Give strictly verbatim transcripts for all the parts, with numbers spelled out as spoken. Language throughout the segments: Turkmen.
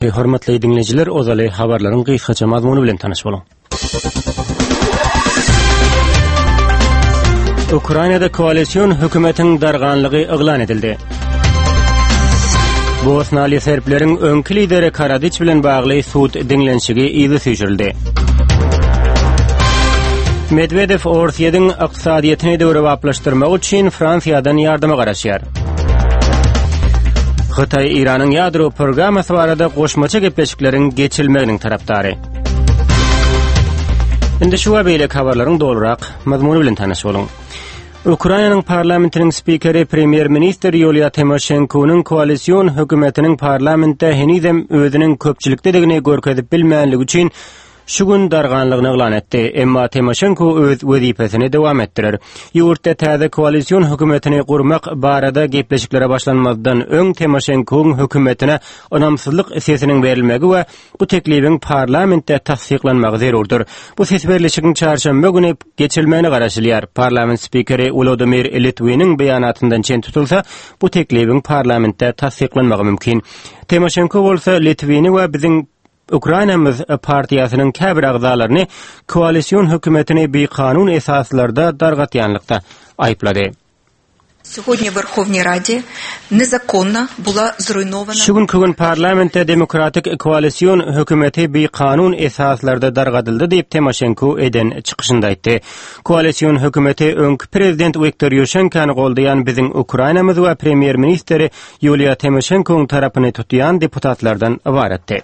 Hormatly diňleýjiler, ozaly habarlaryň gysgaça mazmuny bilen tanyş boluň. Ukrainada koalision hökümetiň darganlygy yglan edildi. Bosnaly serbleriň öňki lideri Karadiç bilen bagly sud diňlenişigi yza süýşürildi. Medwedew Orsýetiň ykdysadyýetini döwrebaplaşdyrmak üçin Fransiýadan ýardama garaşýar. Hytaý Eýranyň ýadro programmasy barada goşmaça gepleşikleriň geçirilmeginiň tarapdary. Indi şu we beýleki habarlaryň dolurak mazmuny bilen tanyş boluň. Ukrainanyň parlamentiniň spikeri premýer-ministr Ýuliýa Timoşenkonyň koalision hökümetiniň parlamentde henizem özüniň köpçülikdedigini görkezip bilmänligi üçin şu gün darganlygyny yglan etdi. Emma Timoşenko öz wezipesini dowam etdirer. Ýurtda täze koalision hökümetini gurmak barada gepleşiklere başlanmazdan öň Timoşenkonyň hökümetine ynamsyzlyk sesiniň berilmegi we bu teklibiň parlamentde tassyklanmagy zerurdyr. Bu ses berlişigiň çarşenbe güni geçirilmegine garaşylýar. Parlament spikeri Wladimir Litwiniň beýanatyndan çen tutulsa, bu teklibiň parlamentde tassyklanmagy mümkin. Timoşenko bolsa Litwini we biziň Ukrainamyz partiýasynyň käbir agzalaryny koalision hökümetini bikanun esaslarda dargatýanlykda aýyplady. Сьогодні в Верховній Раді незаконно була зруйнована Şu günki gün parlamentde demokratik koalision hökümeti bikanun esaslarda dargadyldy diýip Timoşenko eden çykyşynda aýtdy. Koalision hökümeti öňki prezident Wiktor Ýuşenkony goldaýan biziň Ukrainamyz we premýer-ministri Ýuliýa Timoşenkonyň tarapyny tutýan deputatlardan ybaratdy.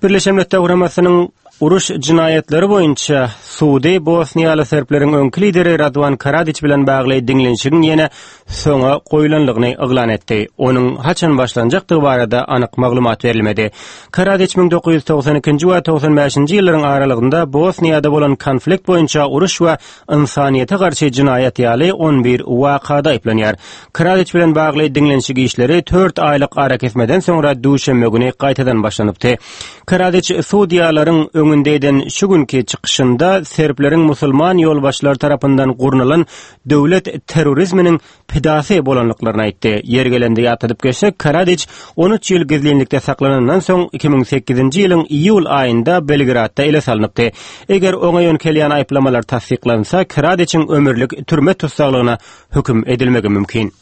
Birleşen Milletler Guramasynyň uruş jinaýatlary boýunça sudy Bosniýaly serbleriň öňki lideri Radwan Karadiç bilen bagly diňlenişigiň ýene soňa goýulanlygyny yglan etdi. Onuň haçan başlanjakdygy barada anyk maglumat berilmedi. Karadiç müň dokuz ýüz togsan ikinji we togsan bäşinji ýyllaryň aralygynda Bosniýada bolan konflikt boýunça uruş we ynsanyýete garşy jinaýat ýaly on bir wakada aýyplanýar. Karadiç bilen bagly diňlenişik işleri dört aýlyk arakesmeden soňra duşenbe güni gaýtadan başlanypdy. Karadiç sudýalaryň öňünde eden şu günki çykyşynda serbleriň musulman ýolbaşçylary tarapyndan gurnalan döwlet terrorizminiň pidasy bolanlyklaryny aýtdy. Ýer gelende ýatladyp geçsek, Karadiç on üç ýyl gizlinlikde saklanandan soň iki müň sekizinji ýylyň iýul aýynda Belgradda ele salnypdy. Eger oňa ýönkelýän aýyplamalar tassyklansa, Karadiçiň ömürlik türme tussaglygyna höküm edilmegi mümkin.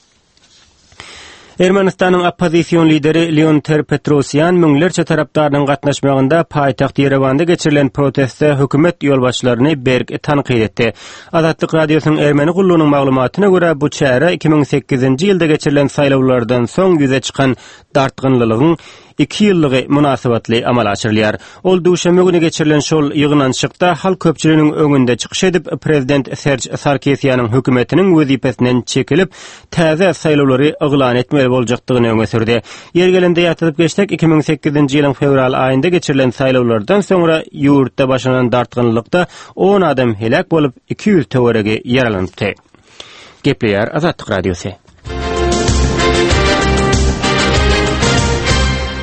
Ermenistanyň oppozision lideri Leon Ter-Petrosyan müňlerçe tarapdarynyň gatnaşmagynda paýtagt Ýerewanda geçirilen protestde hökümet ýolbaşçylaryny berk tankyt etdi. Azatlyk Radiosynyň Ermeni gullugynyň maglumatyna görä bu çäre iki müň sekizinji ýylda geçirilen saýlawlardan soň ýüze çykan dartgynlylygyň iki ýyllygy munasybatly amala aşyrylýar. Ol duşenbe güni geçirilen şol ýygnanyşykda halk köpçüliginiň öňünde çykyş edip, prezident Serj Sarkisýanyň hökümetiniň wezipesinden çekilip, täze saýlawlary yglan etmeli boljakdygyny öňe sürdi. Ýer gelende ýatladyp geçsek, iki müň sekizinji ýylyň fewral aýynda geçirilen saýlawlardan soňra ýurtda başlanan dartgynlykda on adam heläk bolup, iki ýüz töweregi ýaralanypdy. Gepleýär Azatlyk Radiosy.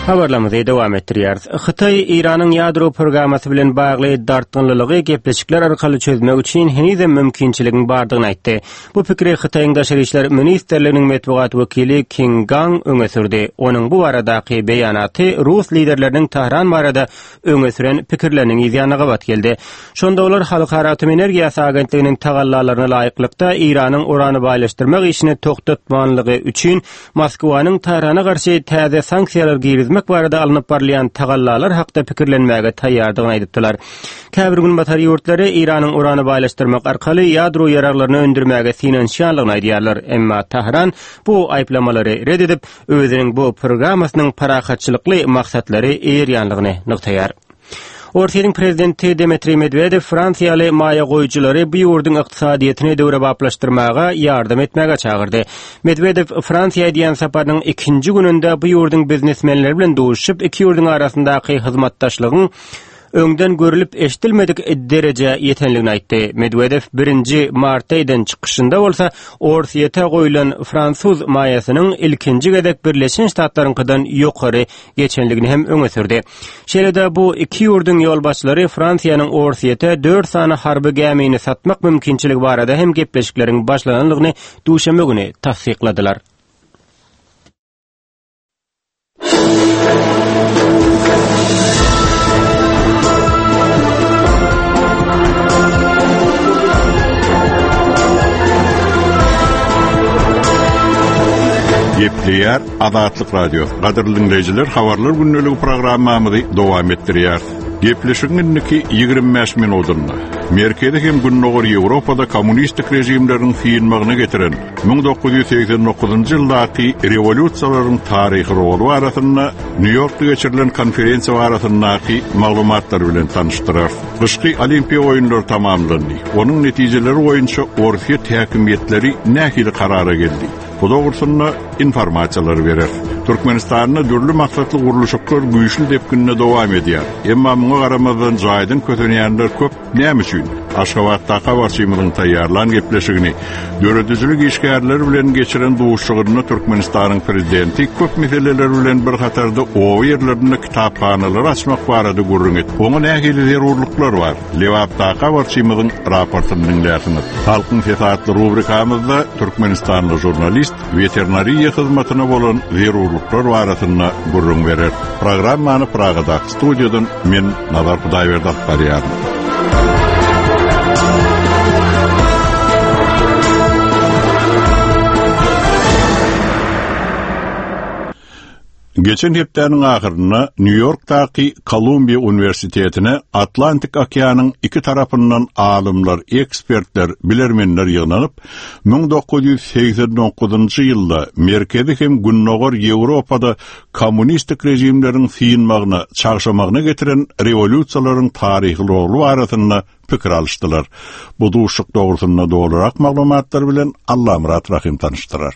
Habarlarymyzy dowam etdirýäris. Hytaý Eýranyň ýadro programmasy bilen bagly dartgynlylygy gepleşikler arkaly çözmek üçin henizem mümkinçiligiň bardygyny aýtdy. Bu pikiri Hytaýyň Daşary işler ministrliginiň metbugat wekili King Gang öňe sürdi. Onuň bu baradaky beýanaty Rus liderleriniň Tahran barada öňe süren pikirleriniň ýanyna gabat geldi. Şonda olar Halkara Atom Energiýasy Agentliginiň tagallalaryna laýyklykda Eýranyň urany baýlaşdyrmak işini toxtatmanlygy üçin Moskwanyň Tahrana garşy täze sanksiýalar girizmek barada alnyp barylýan tagallalar hakda pikirlenmäge taýýardygyny aýdypdylar. Käbir günbatar ýurtlary Eýranyň urany baýlaşdyrmak arkaly ýadro ýaraglaryny öndürmäge synanyşýanlygyny aýdýarlar. Emma Tahran bu aýyplamalary red edip, özüniň bu programmasynyň parahatçylykly maksatlary eýerýänligini nygtaýar. Orsýetiň prezidenti Dmitriý Medwedew Fransiýaly maýa goýujylary bu ýurduň ykdysadyýetini döwrebaplaşdyrmaga ýardam etmäge çagyrdy. Medwedew Fransiýa edýän saparynyň ikinji gününde bu ýurduň biznesmenleri bilen duşup, iki ýurduň arasyndaky hyzmatdaşlygyň öňden görülip eşidilmedik derejä ýetenligini aýtdy. Medwedew birinji martda eden çykyşynda bolsa Orsýete goýulan fransuz maýasynyň ilkinji gezek Birleşen Ştatlaryňkydan ýokary geçenligini hem öňe sürdi. Şeýle-de bu iki ýurduň ýolbaşçylary Fransiýanyň Orsýete dört sany harby gämini satmak mümkinçiligi barada hem gepleşikleriň başlananlygyny duşenbe güni tassykladylar. Gepleýär Azatlyk Radiosy. Gadyrly dinleýjiler, habarlar gündeligi programmamyzy dowam etdirýär. Gepleşigiň indiki ýigrimi bäş minutynda Merkezi hem Gündogar Ýewropada kommunistik režimleriň synmagyna getiren müň dokuz ýüz segsen dokuzynjy ýyldaky rewolýusiýalaryň taryhy roly barasynda Nýu-Ýorkda geçirilen konferensiýa barasyndaky maglumatlar bilen tanyşdyrar. Gyşky olimpiýa oýunlary tamamlandy. Onuň netijeleri boýunça Orsýet häkimiýetleri nähili karara geldi? Bu dogrusynda informasiýalary berer. Türkmenistanda dürli maksatly gurluşyklar güýçli depginde dowam edýär. Emma muňa garamazdan jaýdan kösenýänler köp. Näme üçin? Aşgabatda habarçymyzyň taýýarlan gepleşigini döredijilik işgärleri bilen geçiren duşuşygynda Türkmenistanyň prezidenti köp meseleler bilen bir hatarda oba ýerlerinde kitaphanalary açmak barada gürrüň etdi. Oňa nähili zerurlyklar bar? Lebapda habarçymyzyň raportyny dinlärsiňiz. Halkyň sesi atly rubrikamyzda Türkmenistanly žurnalist veterinariýa hyzmatyna bolan zerurlyklar barasynda gürrüň berer. Programmany Pragadaky studiýadan men Nazar Hudaýberdi alyp barýaryn. Geçen hepdäniň ahyrynda Nýu-Ýorkdaky Kolumbiýa Uniwersitetine Atlantik okeanyň iki tarapyndan alymlar, ekspertler, bilermenler ýygnanyp, müň dokuz ýüz segsen dokuzynjy ýylda Merkezi hem Gündogar Ýewropada kommunistik režimleriň synmagyna, çagşamagyna getiren rewolýusiýalaryň taryhy roly barasynda pikir alyşdylar. Bu duşuşyk dogrusynda dolurak maglumatlar bilen Allamyrat Rahim tanyşdyrar.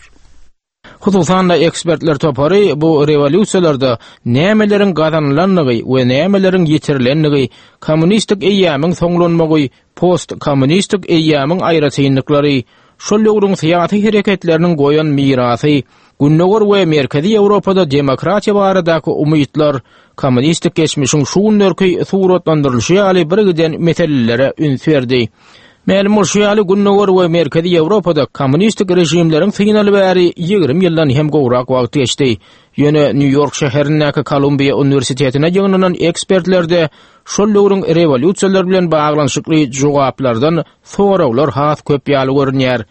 Hususan-da ekspertler topary bu rewolýusiýalarda nämeleriň gazanylandygy we nämeleriň ýitirilendigi, kommunistik eýýamyň soňlanmagy, post-kommunistik eýýamyň aýratynlyklary, şol döwrüň syýasy hereketleriniň goýan mirasy, Gündogar we Merkezi Ýewropada demokratiýa baradaky umytlar, kommunistik geçmişiň şu günlerki suratlandyrylyşy ýaly bir giden meselelere üns berdi. Mälim bolşy ýaly Gündogar we Merkezi Ýewropada kommunistik režimleriň synaly bäri ýigrimi ýyldan hem gowrak wagt geçdi. Ýöne Nýu-Ýork şäherindäki Kolumbiýa Uniwersitetine ýygnanan ekspertlerde şol döwrüň rewolýusiýalar bilen baglanyşykly jogaplardan soraglar has köp ýaly görünýär.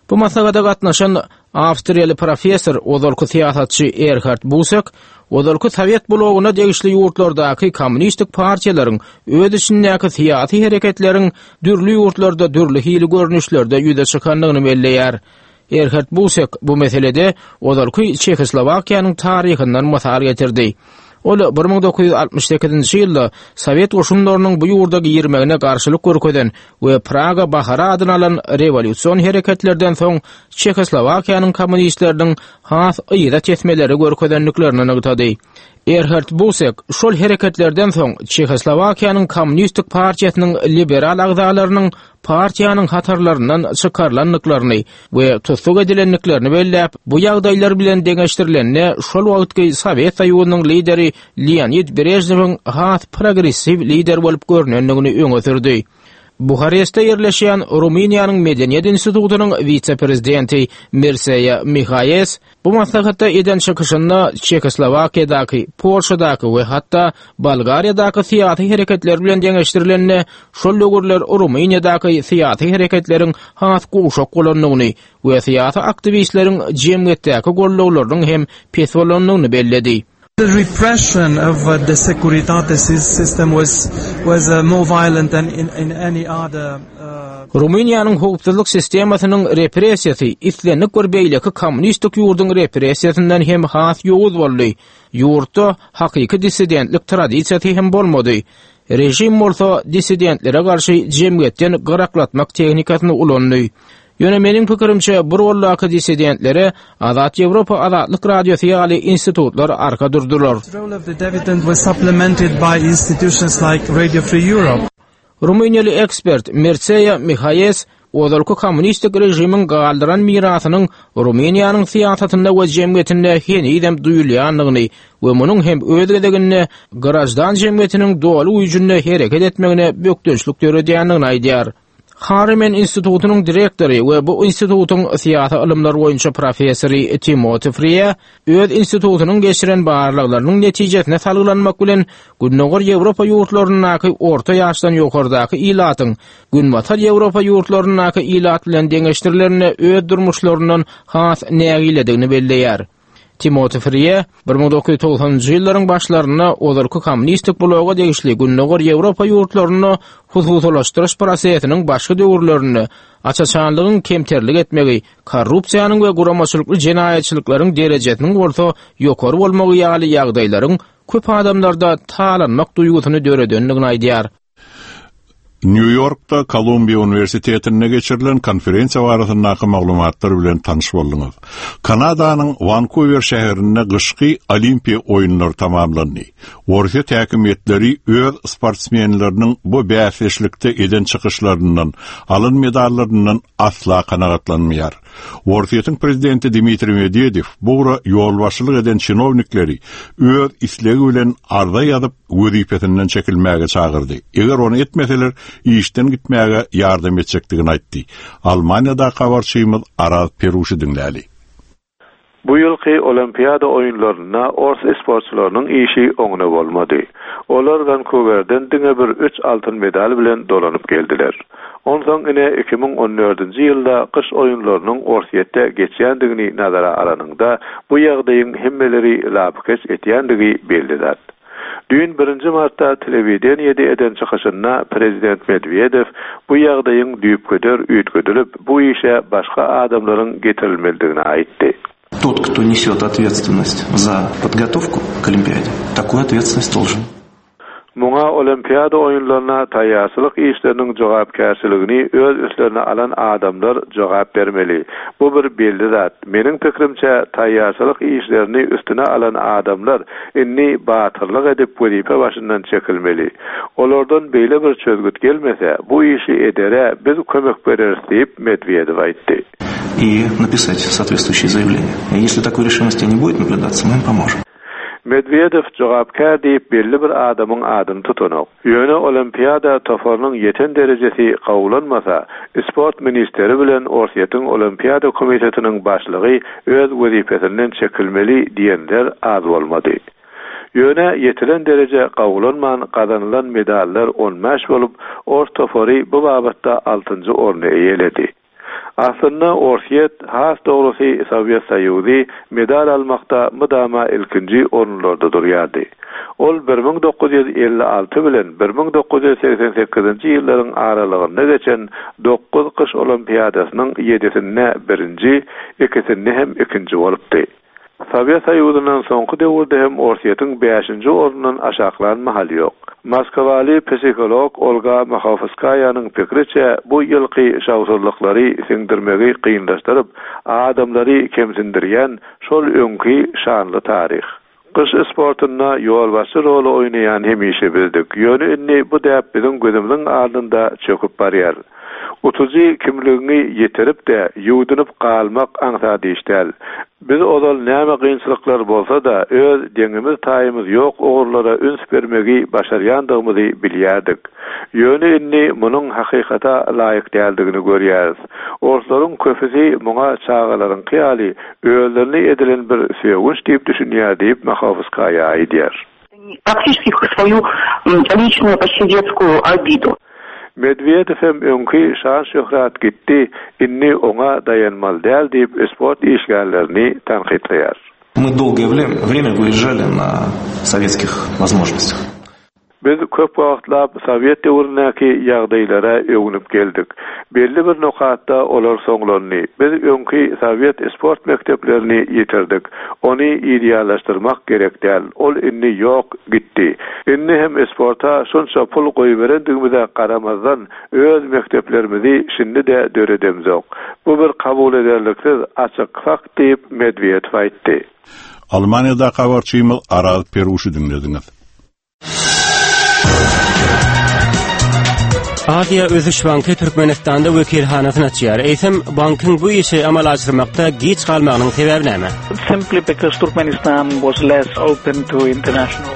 Bu maslahata gatnaşan Awstriýaly professor, ozalky syýasatçy Erhard Busek, ozalky Sowet blogyna degişli ýurtlardaky kommunistik partiýalaryň öz içindäki syýasy hereketleriň dürli ýurtlarda dürli hili görnüşlerde ýüze çykandygyny belleýär. Erhard Busek bu meselede ozalky Çehoslowakiýanyň taryhyndan mysal getirdi. Ol bir müň dokuz ýüz altmyş sekizinji ýylda Sowet goşunlarynyň bu ýurda girmegine garşylyk görkezen we Praga bahary adyny alan rewolýusion hereketlerden soň Çehoslowakiýanyň kommunistleriniň has yza tesmeleri görkezendiklerini nygtady. Erhard Busek şol hereketlerden soň Çehoslowakiýanyň kommunistik partiýasynyň liberal agzalarynyň partiýanyň hatarlaryndan çykarylandyklaryny we tussag edilendiklerini belläp, bu ýagdaýlar bilen deňeşdirilende şol wagtky Sowet Soýuzynyň lideri Leonid Brejnewiň has progressiw lider bolup görünendigini öňe sürdi. Buharestde ýerleşýän Rumyniýanyň Medeniýet institutynyň wise-prezidenti Mirseýa Mihaýes bu maslahatda eden çykyşynda Çehoslowakiýadaky, Polşadaky we hatda Bolgariýadaky syýasy hereketler bilen deňeşdirilende şol döwürler Rumyniýadaky syýasy hereketleriň has gowşak bolandygyny we syýasy aktiwistleriň jemgyýetdäki gollawlarynyň hem pes bolandygyny belledi. The repression of, uh, the Securitate system was, was, uh, more violent than in, in any other, uh, Rumyniýanyň howpsuzlyk sistemasynyň repressiýasy islendik bir beýleki kommunistik ýurduň repressiýasyndan hem has ýowuz boldy. Ýurtda hakyky dissidentlik tradisiýasy hem bolmady. Rejim bolsa dissidentlere garşy jemgyýetden gyraklatmak tehnikasyny ulandy. Ýöne meniň pikirimçe bu roldaky dissidentlere Azat Ýewropa Azatlyk Radiosy ýaly institutlar arka durdular. The role of the dissident was supplemented by institutions like Radio Free Europe. Rumyniýaly ekspert Mircea Mihaýes ozalky kommunistik režimiň galdyran mirasynyň Rumyniýanyň syýasatynda we jemgyýetinde henizem duýulýandygyny we munuň hem öz gezeginde grajdan jemgyýetiniň doly güýjünde hereket etmegine bökdençlik döredýändigini aýdýar. Harriman institutynyň direktory we bu institutyň syýasy ylymlar boýunça professory Timothy Frye öz institutynyň geçiren barlaglarynyň netijesine salgylanmak bilen Gündogar Ýewropa ýurtlaryndaky orta ýaşdan ýokardaky ilatyň Günbatar Ýewropa ýurtlaryndaky ilat bilen deňeşdirilerinde öz durmuşlaryndan has nägiledigini belleýär. Timoti Friye bir müň dokuz ýüz togsanynjy ýyllaryň başlarynda ozalky kommunistik bloga degişli Gündogar Ýewropa ýurtlarynda hususylaşdyryş prosesiniň başky döwürlerinde açaçanlygyň kemterlik etmegi, korrupsiýanyň we guramaçylykly jenaýatçylyklaryň derejesiniň bolsa ýokary bolmagy ýaly ýagdaýlaryň köp adamlarda talanmak duýgusyny döredendigini aýdýar. Nýu-Ýorkda Kolumbiýa Uniwersitetinde geçirilen konferensiýa barasyndaky maglumatlar bilen tanyş bolduňyz. Kanadanyň Wankuwer şäherinde gyşky Olimpiýa oýunlary tamamlandy. Orsýet häkimiýetleri öz sportsmenleriniň bu bäsdeşlikde eden çykyşlaryndan, alan medallaryndan asla kanagatlanmaýar. Orsýetiň prezidenti Dmitriý Medwedew bu ugra ýolbaşçylyk eden çinownikleri öz islegi bilen arza ýazyp wezipesinden çekilmäge çagyrdy. Eger ony etmeseler, işden gitmäge ýardam etjekdigini aýtdy. Almaniýada habarçymyz Araz Peruşy diňläli. Bu ýylky Olimpiada oýunlarynda ors sportçylarynyň işi oňuna bolmady. Olar Vancouverden diňe bir üç altyn medal bilen dolanyp geldiler. Onsoň ine iki müň on dördünji ýylda gyş oýunlarynyň Orsýetde geçýändigini nazara alanyňda bu ýagdaýyň hemmeleri lapykeç etýändigi belli zat. Düýn birinji martda telewideniýede eden çykyşynda prezident Medwedew bu ýagdaýyň düýpgöder üýtgedilip, bu işe başga adamlaryň getirilmelidigini aýtdy. Тот, кто несет ответственность за подготовку к Олимпиаде, такую ответственность должен. Muňa Olimpiada oýunlaryna taýýarçylyk işleriniň jogapkärçiligini öz üstlerine alan adamlar jogap bermeli. Bu bir belli zat. Meniň pikrimçe taýýarçylyk işlerini üstüne alan adamlar indi batyrlyk edip wezipe başyndan çekilmeli. Olardan beýle bir çözgüt gelmese, bu işi edere biz kömek bereris diýip Medwedew aýtdy. И написать соответствующее заявление. И если такой решимости не будет наблюдаться, мы им поможем. Medvedev jogapkär diýip belli bir adamyň adyny tutanok. Ýöne Olimpiada toparynyň ýeten derejesi gawulanmasa, sport ministeri bilen Orsýetiň Olimpiada komitetiniň başlygy öz wezipesinden çekilmeli diýenler az bolmady. Ýöne ýetilen dereje gawulanman gazanylan medallar on bäş bolup, Ors topary bu babatda altynjy orny eýeledi. Aslynda Orsýet, has dogrusy Sowet Soýuzy medal almakda mydama ilkinji orunlarda durýardy. Ol bir müň dokuz ýüz elli alty bilen bir müň dokuz ýüz seksen sekizinji ýyllaryň aralygynda geçen dokuz gyş olimpiadasynyň ýedisinde birinji, ikisinde hem ikinji bolupdy. Sowet Soýuzyndan soňky döwürde hem Orsýetiň bäşinji orundan aşaklan mahal ýok. Moskwaly psiholog Olga Mahovskaýanyň pikriçe bu ýylky şawsuzlyklary siňdirmegi kynlaşdyryp, adamlary kemsindirýän şol öňki şanly taryh. Gyş sportunda ýolbaşçy roly oýnaýan hemişe bildik. Ýöne indi bu däp biziň gözümiziň alnynda çöküp barýar. Utujy kimligiňi ýetirip de ýuwdunyp galmak aňsat iş däl. Biz ozal näme kynçylyklar bolsa-da öz deňimiz taýymyz ýok ugurlara üns bermegi başarýandygymyzy bilýärdik. Ýöne indi munuň hakykata laýyk däldigini görýäris. Orslaryň köpüsi muňa çagalaryň hyýaly özlerini edilen bir sögünç diýip düşünýär diýip Mahovskaýa aýdýar. Практически свою, м, личную почти детскую обиду. Medvedev hem öňki şan şöhrat gitdi, indi oňa daýanmaly däl diýip sport işgärlerini tankytlaýar. Мы долгое время, время выезжали на советских возможностях. Biz köp wagtlap Sowet döwründäki ýagdaýlara öwünip geldik. Belli bir nokatda olar soňlandy. Biz öňki Sowet sport mekdeplerini ýitirdik. Ony ideallaşdyrmak gerek däl. Ol indi ýok, gitdi. Indi hem sporta şonça pul goýberendigimize garamazdan öz mekdeplerimizi şindi de döredemzok. Bu bir kabul ederliksiz açyk fakt diýip Medvedew aýtdy. Almaniýada habarçymyz Araz Peruşy diňlediňiz. Aziýa Ösüş Banky Türkmenistanda wekilhanasyny açýar. Eýsem bankyň bu işi amala aşyrmakda geç galmagynyň sebäbi näme? Simply because Turkmenistan was less open to international.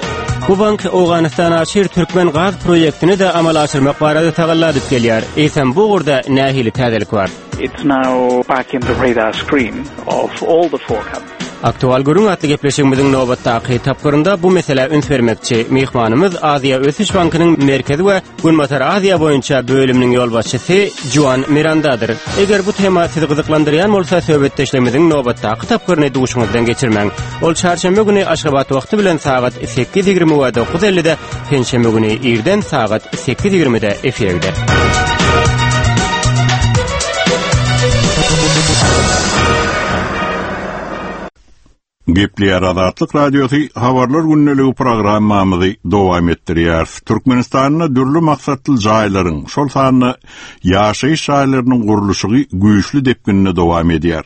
Bu bank Owganystan aşyr Türkmen gaz proýektini de amala aşyrmak barada tagalla edip gelýär. Eýsem bu ugurda nähili täzelik bar? It's now back in the radar screen of all the four countries. Aktual gürrüň atly gepleşigimiziň nobatdaky tapgyrynda bu meselä üns bermekçi. Myhmanymyz Aziýa Ösüş Bankynyň Merkezi we Günbatar Aziýa boýunça bölüminiň ýolbaşçysy Juan Mirandadyr. Eger bu tema sizi gyzyklandyrýan bolsa, söhbetdeşligimiziň nobatdaky tapgyryny duşuňyzdan geçirmäň. Ol çarşenbe güni Aşgabat wagty bilen sagat sekiz ýigrimi we dokuz ellide, penşenbe güni irden sagat sekiz ýigrimide efire gider. Gepleýär Azatlyk Radiosy habarlar gündeligi programmamyzy dowam etdirýär. Türkmenistanda dürli maksatly jaýlaryň, şol sanda ýaşaýyş jaýlarynyň gurluşygy güýçli depginde dowam edýär.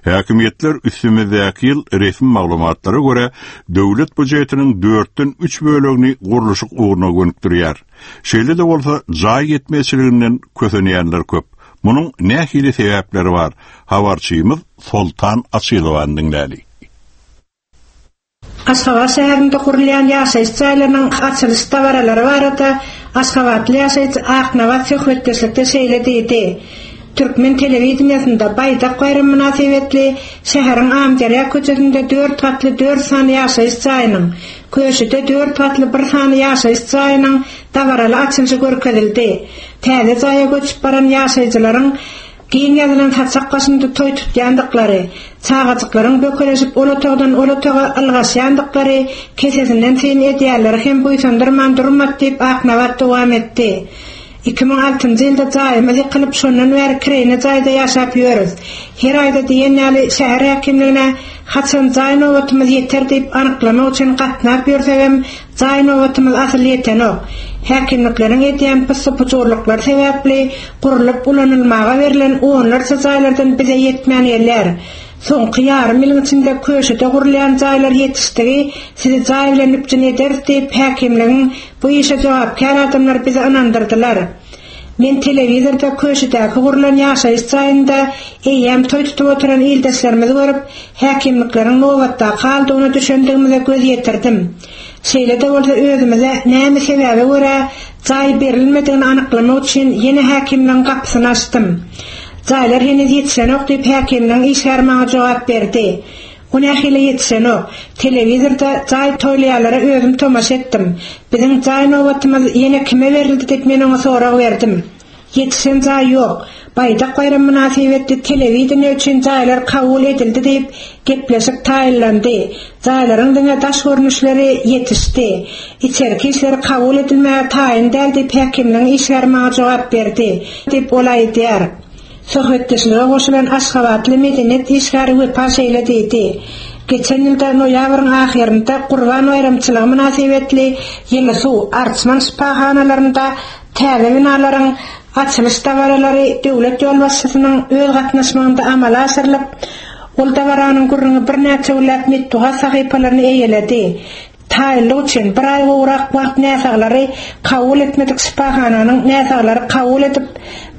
Häkimiýetler üstümizdäki ýyl resmi maglumatlara görä döwlet býujetiniň dörtden üç bölegini gurluşyk ugruna gönükdirýär. Şeýle-de bolsa jaý ýetmezçiliginden kösenýänler köp. Munuň nähili sebäpleri bar? Habarçymyz Soltan Açylowany diňläli. Aşgabat şäherinde gurulýan ýaşaýyş jaýlarynyň açylyş dabaralary barada Aşgabatly ýaşaýjy Aknabat söhbetdeşlikde şeýle diýdi. Türkmen telewideniýasynda Baýdak baýramy mynasybetli şäheriň Amderýa köçesinde dört gatly dört sany ýaşaýyş jaýynyň, Köşüde dört gatly bir sany ýaşaýyş jaýynyň dabaraly açylyşy görkezildi. Täze jaýa göçüp baran ýaşaýjylaryň giň ýazylan saçak başynda toý tutýandyklary, çagajyklaryň bökeleşip ol otagdan ol otaga ylgaşýandyklary kesesinden syn edýärleri hem buýsandyrman durmady diýip Aknabat dowam etdi. Iki müň altynjy ýylda jaýymyz ýykylyp, şondan bäri kireýne jaýda ýaşap ýörüz. Her aýda diýen ýaly şäher häkimligine haçan jaý nobatymyz ýeter diýip anyklamak üçin gatnap ýörsegem, jaý nobatymyz asyl ýetenok. Häkimlikleriň edýän pyssy-pujurlyklary sebäpli gurulyp ulanylmaga berlen onlarça jaýlardan bize ýetmän gelýär. Soňky ýarym ýylyň içinde köşede gurulýan jaýlar ýetişdigi sizi jaý bilen üpjün ederis diýip häkimligiň bu işe jogapkär adamlar bizi ynandyrdylar. Men telewizorda köşedäki gurulan ýaşaýyş jaýynda eýýäm toý tutup oturan ildeşlerimizi görüp, häkimlikleriň nobatdaky aldygyna düşendigimize göz ýetirdim. Şeýle-de bolsa özümize näme sebäbe görä jaý berilmedigini anyklamak üçin ýene häkimligiň gapysyny açdym. Jaýlar heniz ýetişenok diýip häkimligiň işgäri maňa jogap berdi. O nähili ýetişenok? Telewizorda jaý toýlaýanlara özüm tomaşa etdim. Biziň jaý nobatymyz ýene kime berildi diýip men oňa sorag berdim. Ýetişen jaý ýok. Baýdak baýram mynasybetli telewideniýe üçin jaýlar kabul edildi diýip gepleşik taýynlandy. Jaýlaryň diňe daş görnüşleri ýetişdi. Içerki işleri kabul edilmäge taýyn däl diýip häkimligiň işgäri maňa jogap berdi diýip ol aýdýar. Söhbetdeşlige goşulan Aşgabatly medeniýet işgäri Wepa şeýle diýdi. Geçen ýylda noýabryň ahyrynda Gurban baýramçylygy mynasybetli Ýyly suw Arçman şypahanalarynda täze binalaryň açylyş dabaralary döwlet ýolbaşçysynyň öz gatnaşmagynda amala aşyrylyp, ol dabaranyň gürrüňi birnäçe günläp metbugat sahypalaryny eýeledi. Taýynlyk üçin bir aý gowrak wagt näsaglary kabul etmedik şypahananyň näsaglary kabul edip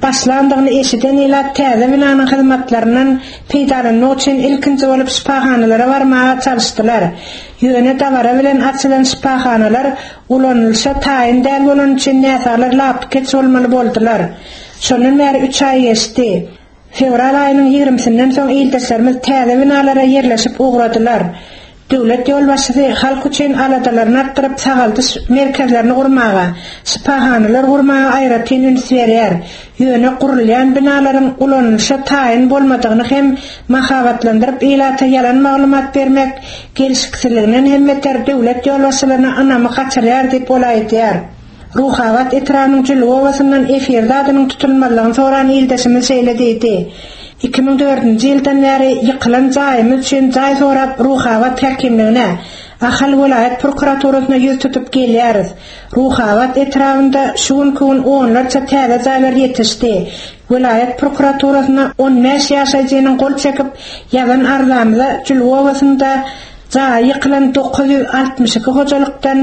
başlandygyny eşiden ilat täze binanyň hyzmatlaryndan peýdalanmak üçin ilkinji bolup şypahanalara barmaga çalyşdylar. Ýöne dabara bilen açylan şypahanalar ulanylyşa taýyn däl bolan üçin näsaglar lapykeç bolmaly boldular. Şondan bäri üç aý geçdi. Fewral aýynyň ýigrimisinden soň ildeşlerimiz täze binalara ýerleşip ugradylar. Döwlet ýolbaşçysy halk üçin aladalaryny artdyryp sagaldyş merkezlerini gurmaga, şypahanalar gurmaga aýratyn üns berýär. Ýöne gurulýan binalaryň ulanylyşa taýyn bolmadygyny hem mahabatlandyryp ilata ýalan maglumat bermek gelşiksizliginden hem beter döwlet ýolbaşçylaryna ynamy gaçyrýar diýip ol aýdýar. Ruhabat etrabynyň Jülge obasyndan efirde adynyň tutulmazlygyny soran ildeşimiz şeýle diýdi. Iki müň dördünji ýyldan bäri ýykylan jaýymyz üçin jaý sorap Ruhabat häkimligine, Ahal welaýat prokuraturasyna ýüz tutup gelýäris. Ruhabat etrabynda şu günki gün onlarça täze jaýlar ýetişdi. Welaýat prokuraturasyna on bäş ýaşaýjynyň gol çekip ýazan arzamyza Jülge obasynda jaý ýykylan dokuz ýüz altmyş iki hojalykdan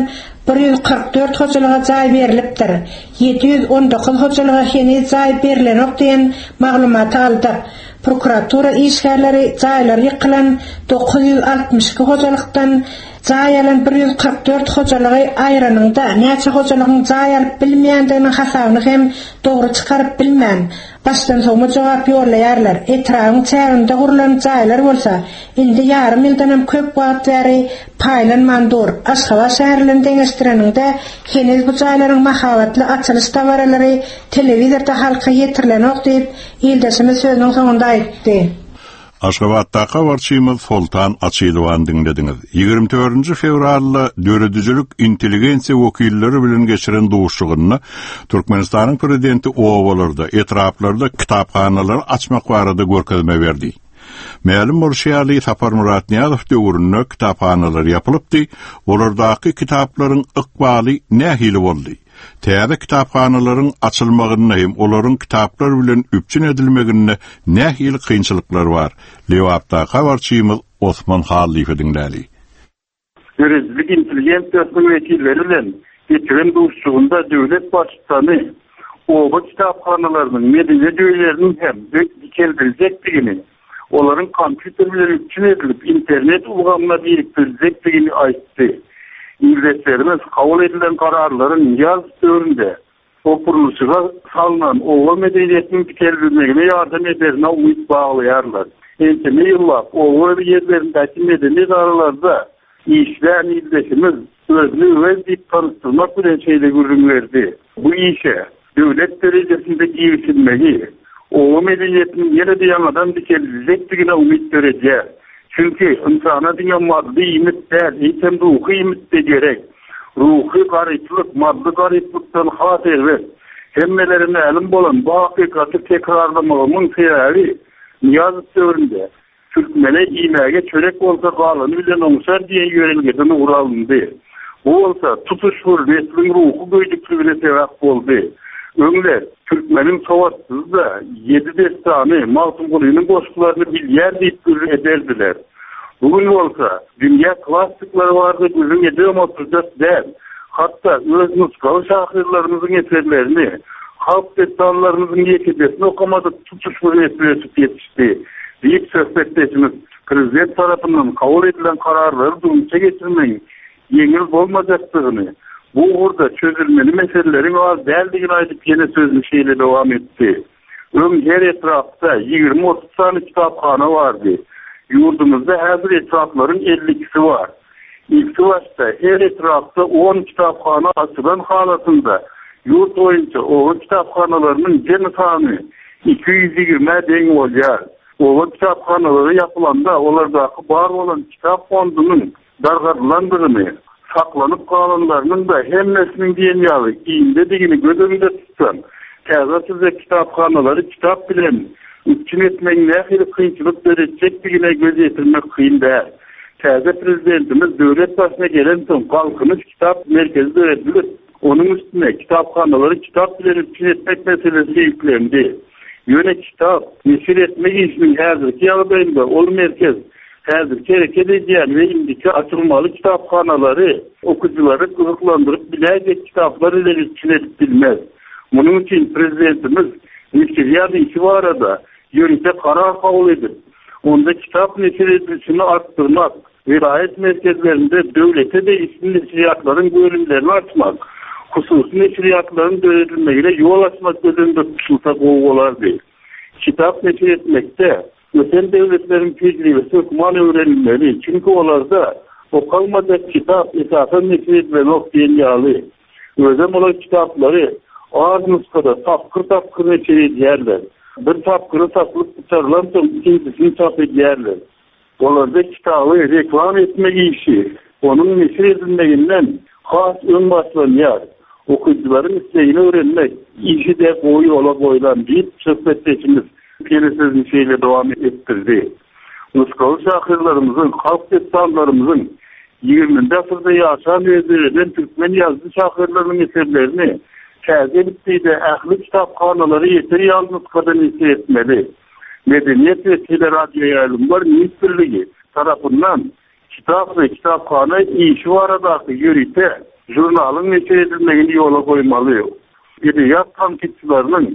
bir ýüz kyrk dört hojalyga jaý berilipdir. Ýedi ýüz on dokuz hojalyga heniz jaý berilenok diýen maglumaty aldyk. Prokuratura işgärleri jaýlar ýykylan dokuz ýüz altmyş iki hojalykdan Jaý alan bir ýüz kyrk dört hojalygy aýranyňda näçe hojalygyň jaý alyp bilmeýändiginiň hasabyny hem dogry çykaryp bilmän, başdan sowma jogap ýollaýarlar. Etrabyň çäginde gurlan jaýlar bolsa, indi ýarym ýyldan hem köp wagt bäri paýlanman dur. Aşgabat şäheri bilen deňeşdireniňde heniz bu jaýlaryň mahabatly açylyş dabaralary telewizorda halka ýetirilenok diýip, ildeşimiz sözüniň soňunda aýtdy. Aşgabatdaky habarçymyz Soltan Açylowan diňlediňiz. Ýigrimi dördünji fewralda döredijilik intelligensiýa wekilleri bilen geçiren duşuşygynda Türkmenistanyň prezidenti obalarda, etraplarda kitaphanalary açmak barada görkezme berdi. Mälim bolşy ýaly Saparmyrat Nyýazow döwründe kitaphanalar ýapylypdy, olardaky kitaplaryň ykbaly nähili boldy? Täze kitaphanalaryň açylmagynda hem olaryň kitaplar bilen üpjün edilmeginde nähili kynçylyklar bar? Lebapdaky habarçymyz Osman Hallyýewi diňläli. Döredijilik intelligensiýasynyň wekilleri bilen geçiren duşuşygynda döwlet baştutany oba kitaphanalarynyň medeniýet öýleriniň hem dikeldiljekdigini, olaryň kompýuter bilen üpjün edilip internet ulgamyna birikdiriljekdigini aýtdy. Ildeşlerimiz kabul edilen kararlaryň ýaz döwründe okurluşyga salynan oba medeniýetiniň dikeldilmegine ýardam ederine umyt baglaýarlar. Ençeme ýyllap oba ýerlerindäki medeni edaralarda işlän ildeşimiz özüni öz diýip tanyşdyrmak bilen şeýle gürrüň berdi. Bu işe döwlet derejesinde girişilmegi oba medeniýetiniň ýene-de ýaňadan dikeldiljekdigine umyt döredýär. Çünki insana diňe maddy iýmit däl, eýsem ruhy iýmit de gerek. Ruhy garyplyk, maddy garyplykdan has erbet. Hemmelere mälim bolan bu hakykaty tekrarlamagymyň sebäbi Nyýazow döwründe Türkmene iýmäge çörek bolsa galany bilen oňşar diýen ýörelgeden ugur alyndy. Bu bolsa tutuş bir nesliň ruhy göýdükligine sebäp boldy. Öňler Türkmeniň sowatsyzy da ýedi dessany Magtymgulynyň goşgularyny bilýär diýip gürrüň ederdiler. Bugün bolsa dünýä klassiklary barada gürrüň edibem oturjak däl. Hatda öz nusgawy şahyrlarymyzyň eserlerini, halk dessanlarymyzyň ýekejesini okamadyk tutuş bir nesli ösüp ýetişdi diýip söhbetdeşimiz prezident tarapyndan kabul edilen kararlary durmuşa geçirmegiň ýeňil bolmajakdygyny, bu ugurda çözülmeli meseleleriň az däldigini aýdyp ýene sözüni şeýle dowam etdi. Öň her etrapda ýigrimi otuz sany kitaphana bardy. Ýurdumyzda häzir etraplaryň elli ikisi bar. Ilki başda her etrapda on kitaphana açylan halatynda ýurt boýunça oba kitaphanalarynyň jemi sany iki ýüz ýigrimi deň bolýar. Oba kitaphanalary ýapylanda olardaky bar bolan kitap fondunyň dargadylandygyny, saklanyp galanlarynyň da hemmesiniň diýen ýaly iýindedigini göz öňünde tutsan, täze açyljak kitaphanalary kitap bilen üpjün etmegiň nähili kynçylyk döretjekdigine göz ýetirmek kyn däl. Täze prezidentimiz döwlet başyna gelen soň Galkynyş kitap merkezi döredilip, onuň üstüne kitaphanalary kitap bilen üpjün etmek meselesi ýüklendi. Ýöne kitap neşir etmek işiniň häzirki ýagdaýynda ol merkez häzirki hereket edýän we indiki açylmaly kitaphanalary okyjylary gyzyklandyryp biläýjek kitaplar bilen üpjün edip bilmez. Munuň üçin prezidentimiz neşirýat işi barada ýörite karar kabul edip, onda kitap neşir edilişini artdyrmak, vilayet merkezlerinde döwlete degişli neşirýatlaryň bölümlerini açmak, hususy neşirýatlaryň döredilmegine ýol açmak göz öňünde tutulsa gowy bolardy. Kitap neşir etmekde ösen döwletleriň tejribesi hökman öwrenilmeli. Çünki olarda okalmajak kitap esasan neşir edilenok diýen ýaly. Özem olar kitaplary az nusgada tapgyr-tapgyr neşir edýärler. Bir tapgyry tapylyp gutarylan soň ikinjisini çap edýärler. Olarda kitaby reklam etmek işi onuň neşir edilmeginden has öň başlanýar. Okyjylaryň islegini öwrenmek işi de gowy ýola goýlan diýip söhbetdeşimiz ýene sözüni şeýle dowam etdirdi. Nusgawy şahyrlarymyzyň, halk dessanlarymyzyň ýigriminji asyrda ýaşan we döreden türkmen ýazyjy şahyrlarynyň eserlerini täze elipbiýde ähli kitaphanalary ýeter ýaly nusgada neşir etmeli. Medeniýet we teleradioýaýlymlar ministrligi tarapyndan kitap we kitaphana işi baradaky ýörite žurnalyň neşir edilmegini ýola goýmaly. Edebiýat tankytçylarynyň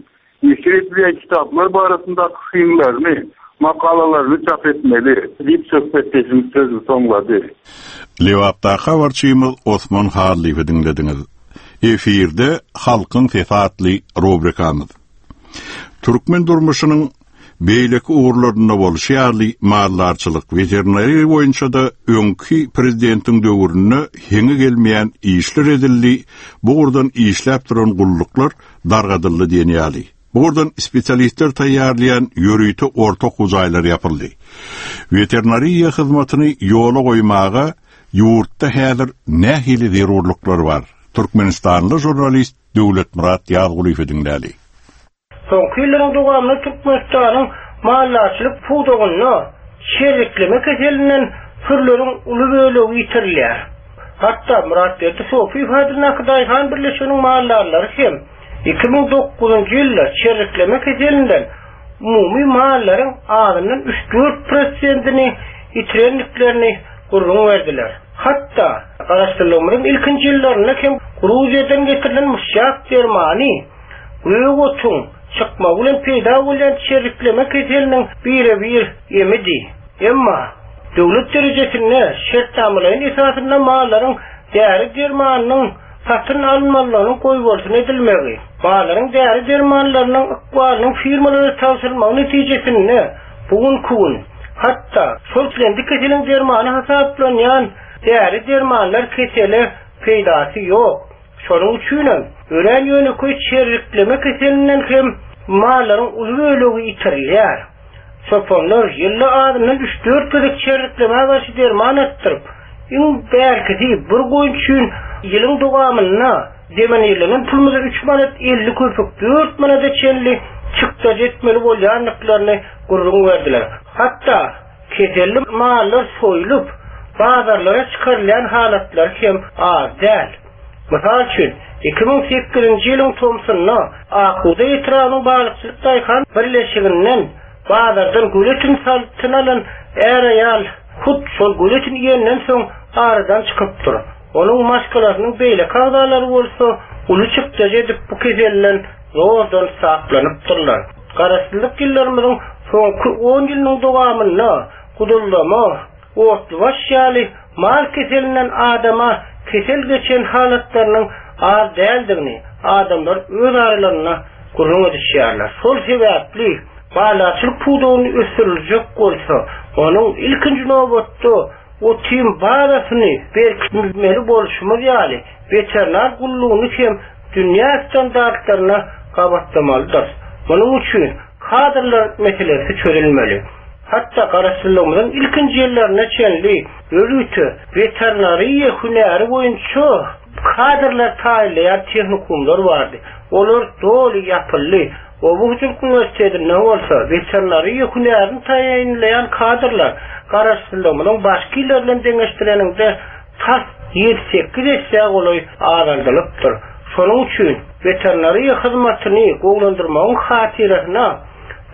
neşir edilýän kitaplar barasyndaky synlaryny Makalalaryny çap etmeli diýip söhbetdeşimiz sözüni soňlady. Lebapdaky habarçymyz Osman Hallyýewi diňlediňiz. Efirde Halkyň sesi atly rubrikamyz. Türkmen durmuşynyň beýleki ugurlarynda bolşy ýaly maldarçylyk, veterinariýa boýunça-da öňki prezidentiň döwründe heňi gelmeýän işler edildi, bu ugurdan işläp duran gulluklar dargadyldy diýen ýaly. Bu ugurdan spesialistler taýýarlaýan ýörite orta okuw jaýlary ýapyldy. Veterinariýa hyzmatyny ýola goýmaga ýurtda häzir nähili zerurlyklar bar? Türkmenistanly žurnalist Döwletmyrat Ýazgulyýewi diňläli. Soňky ýyllaryň dowamynda Türkmenistanyň maldarçylyk pudagynda çerrikleme keselinden sürüleriň uly bölegi ýitirilýär. Hatda Myratberdi Sofiýew adyndaky Daýhan birleşiginiň maldarlary hem iki müň dokuzynjy ýylda çerrikleme keselinden umumy mallaryň azyndan üç-dört prosentini ýitirendiklerini gürrüň berdiler. Hatda Garaşsyzlygymyzyň ilkinji ýyllarynda hem Gruziýadan getirilen muşşak dermany gök otuň çykmagy bilen peýda bolýan çerrikleme keseliniň birebir emidi. Emma döwlet derejesinde şertnamalaýyn esasynda mallaryň däri dermanynyň satyn alynmalygynyň goýbolsun edilmegi, mallaryň däri dermanlarynyň ykbalynyň firmalara tabşyrylmagy netijesinde bu günki gün hatda şol islendik keseliň dermany hasaplanýan däri dermanlar kesele peýdasy ýok. Şonuň üçinem örän ýönekeý çerrikleme keselinden hem mallaryň uly bölegi ýitirilýär. Çopanlar ýylda azyndan üç-dört gezek çerriklemä garşy derman atdyryp, iň bärkisi bir goýun üçin ýylyň dowamynda demenirlenen pulumyza üç manat elli köpük dört manada çenli çykdajy etmeli bolýandyklaryny gürrüň berdiler. Hatda keselli mallar soýlup, bazarlara çykarylýan halatlar hem az däl. Mysal üçin, iki müň sekizinji ýylyň tomsunda Akbugda etrabynyň balykçylyk daýhan birleşiginden bazardan göletin satyn alan är-aýal hut şol göletin iýenden soň aradan çykypdyr. Onuň maşgalasynyň beýleki agzalary bolsa uly çykdajy edip bu keselden zordan saklanypdyrlar. Garaşsyzlyk ýyllarymyzyň soňky on ýylynyň dowamynda gudullama, otlubaş ýaly mal keselinden adama kesel geçen halatlarynyň az däldigini adamlar öz aralarynda gürrüň edişýärler. Şol sebäpli maldarçylyk pudagyny ösdüriljek bolsa, onuň ilkinji nobatda otim bazasyny berkitmeli bolşumyz ýaly veterinar gullugyny hem dünýä standartlaryna gabatlamalydyr. Munuň üçin kadrlar meselesi çözülmeli. Hatda Garaşsyzlygymyzyň ilkinji ýyllaryna çenli ýörite veterinariýa hünäri boýunça kadrlar taýýarlaýan tehnikumlar bardy. Olar doly ýapyldy. Oba hojalyk uniwersitetinde bolsa veterinariýa hünärini taýýarlaýan kadrlar Garaşsyzlygymyzyň başky ýyllary bilen deňeşdireniňde tas ýedi sekiz esse golaý azaldylypdyr. Şonuň üçin veterinariýa hyzmatyny gowulandyrmagyň hatyrasyna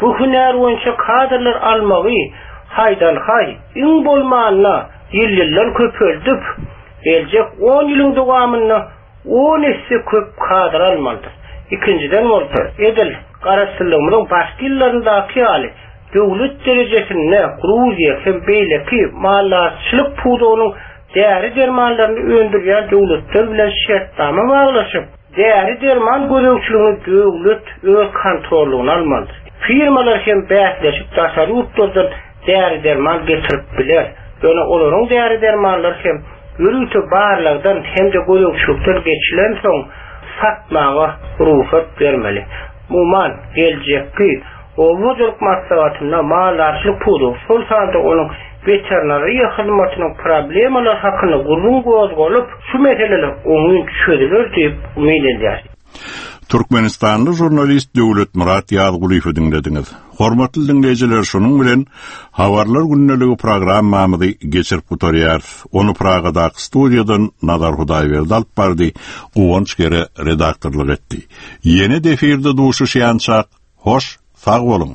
bu hünär boýunça kadrlar almagy haýdan-haý iň bolmanda ýyl-ýyldan köpeldip, geljek on ýylyň dowamynda on esse köp kadr almalydyr. Ikinjiden bolsa, edil Garaşsyzlygymyzyň başky ýyllaryndaky ýaly döwlet derejesinde Gruziýa hem beýleki maldarçylyk pudagynyň däri dermanlaryny öndürýän döwletler bilen şertnama baglaşyp, däri derman gözegçiligini döwlet öz kontrollugyna almalydyr. Firmalar hem bäsleşip daşary ýurtlardan däri derman getirip biler. Ýöne olaryň däri dermanlary hem ýörite barlagdan hem-de gözegçilikden geçilen soň satmaga rugsat bermeli. Umuman, geljekki oba hojalyk maslahatynda maldarçylyk pudagy, şol sanda onuň veterinariýa hyzmatynyň problemalary hakynda gürrüň gozgalyp, şu meseleler oňyn çözüler diýip umyt edýär. Türkmenistanly žurnalist Döwletmyrat Ýazgulyýewi diňlediňiz. Hormatly diňleýjiler, şonuň bilen Habarlar gündeligi programmamyzy geçirip gutarýarys. Ony Pragadaky studiýadan Nazar Hudaýberdi alyp bardy, Guwanç Gere redaktorlyk etdi. Ýene defirde duşuşýançak, hoş, sag boluň.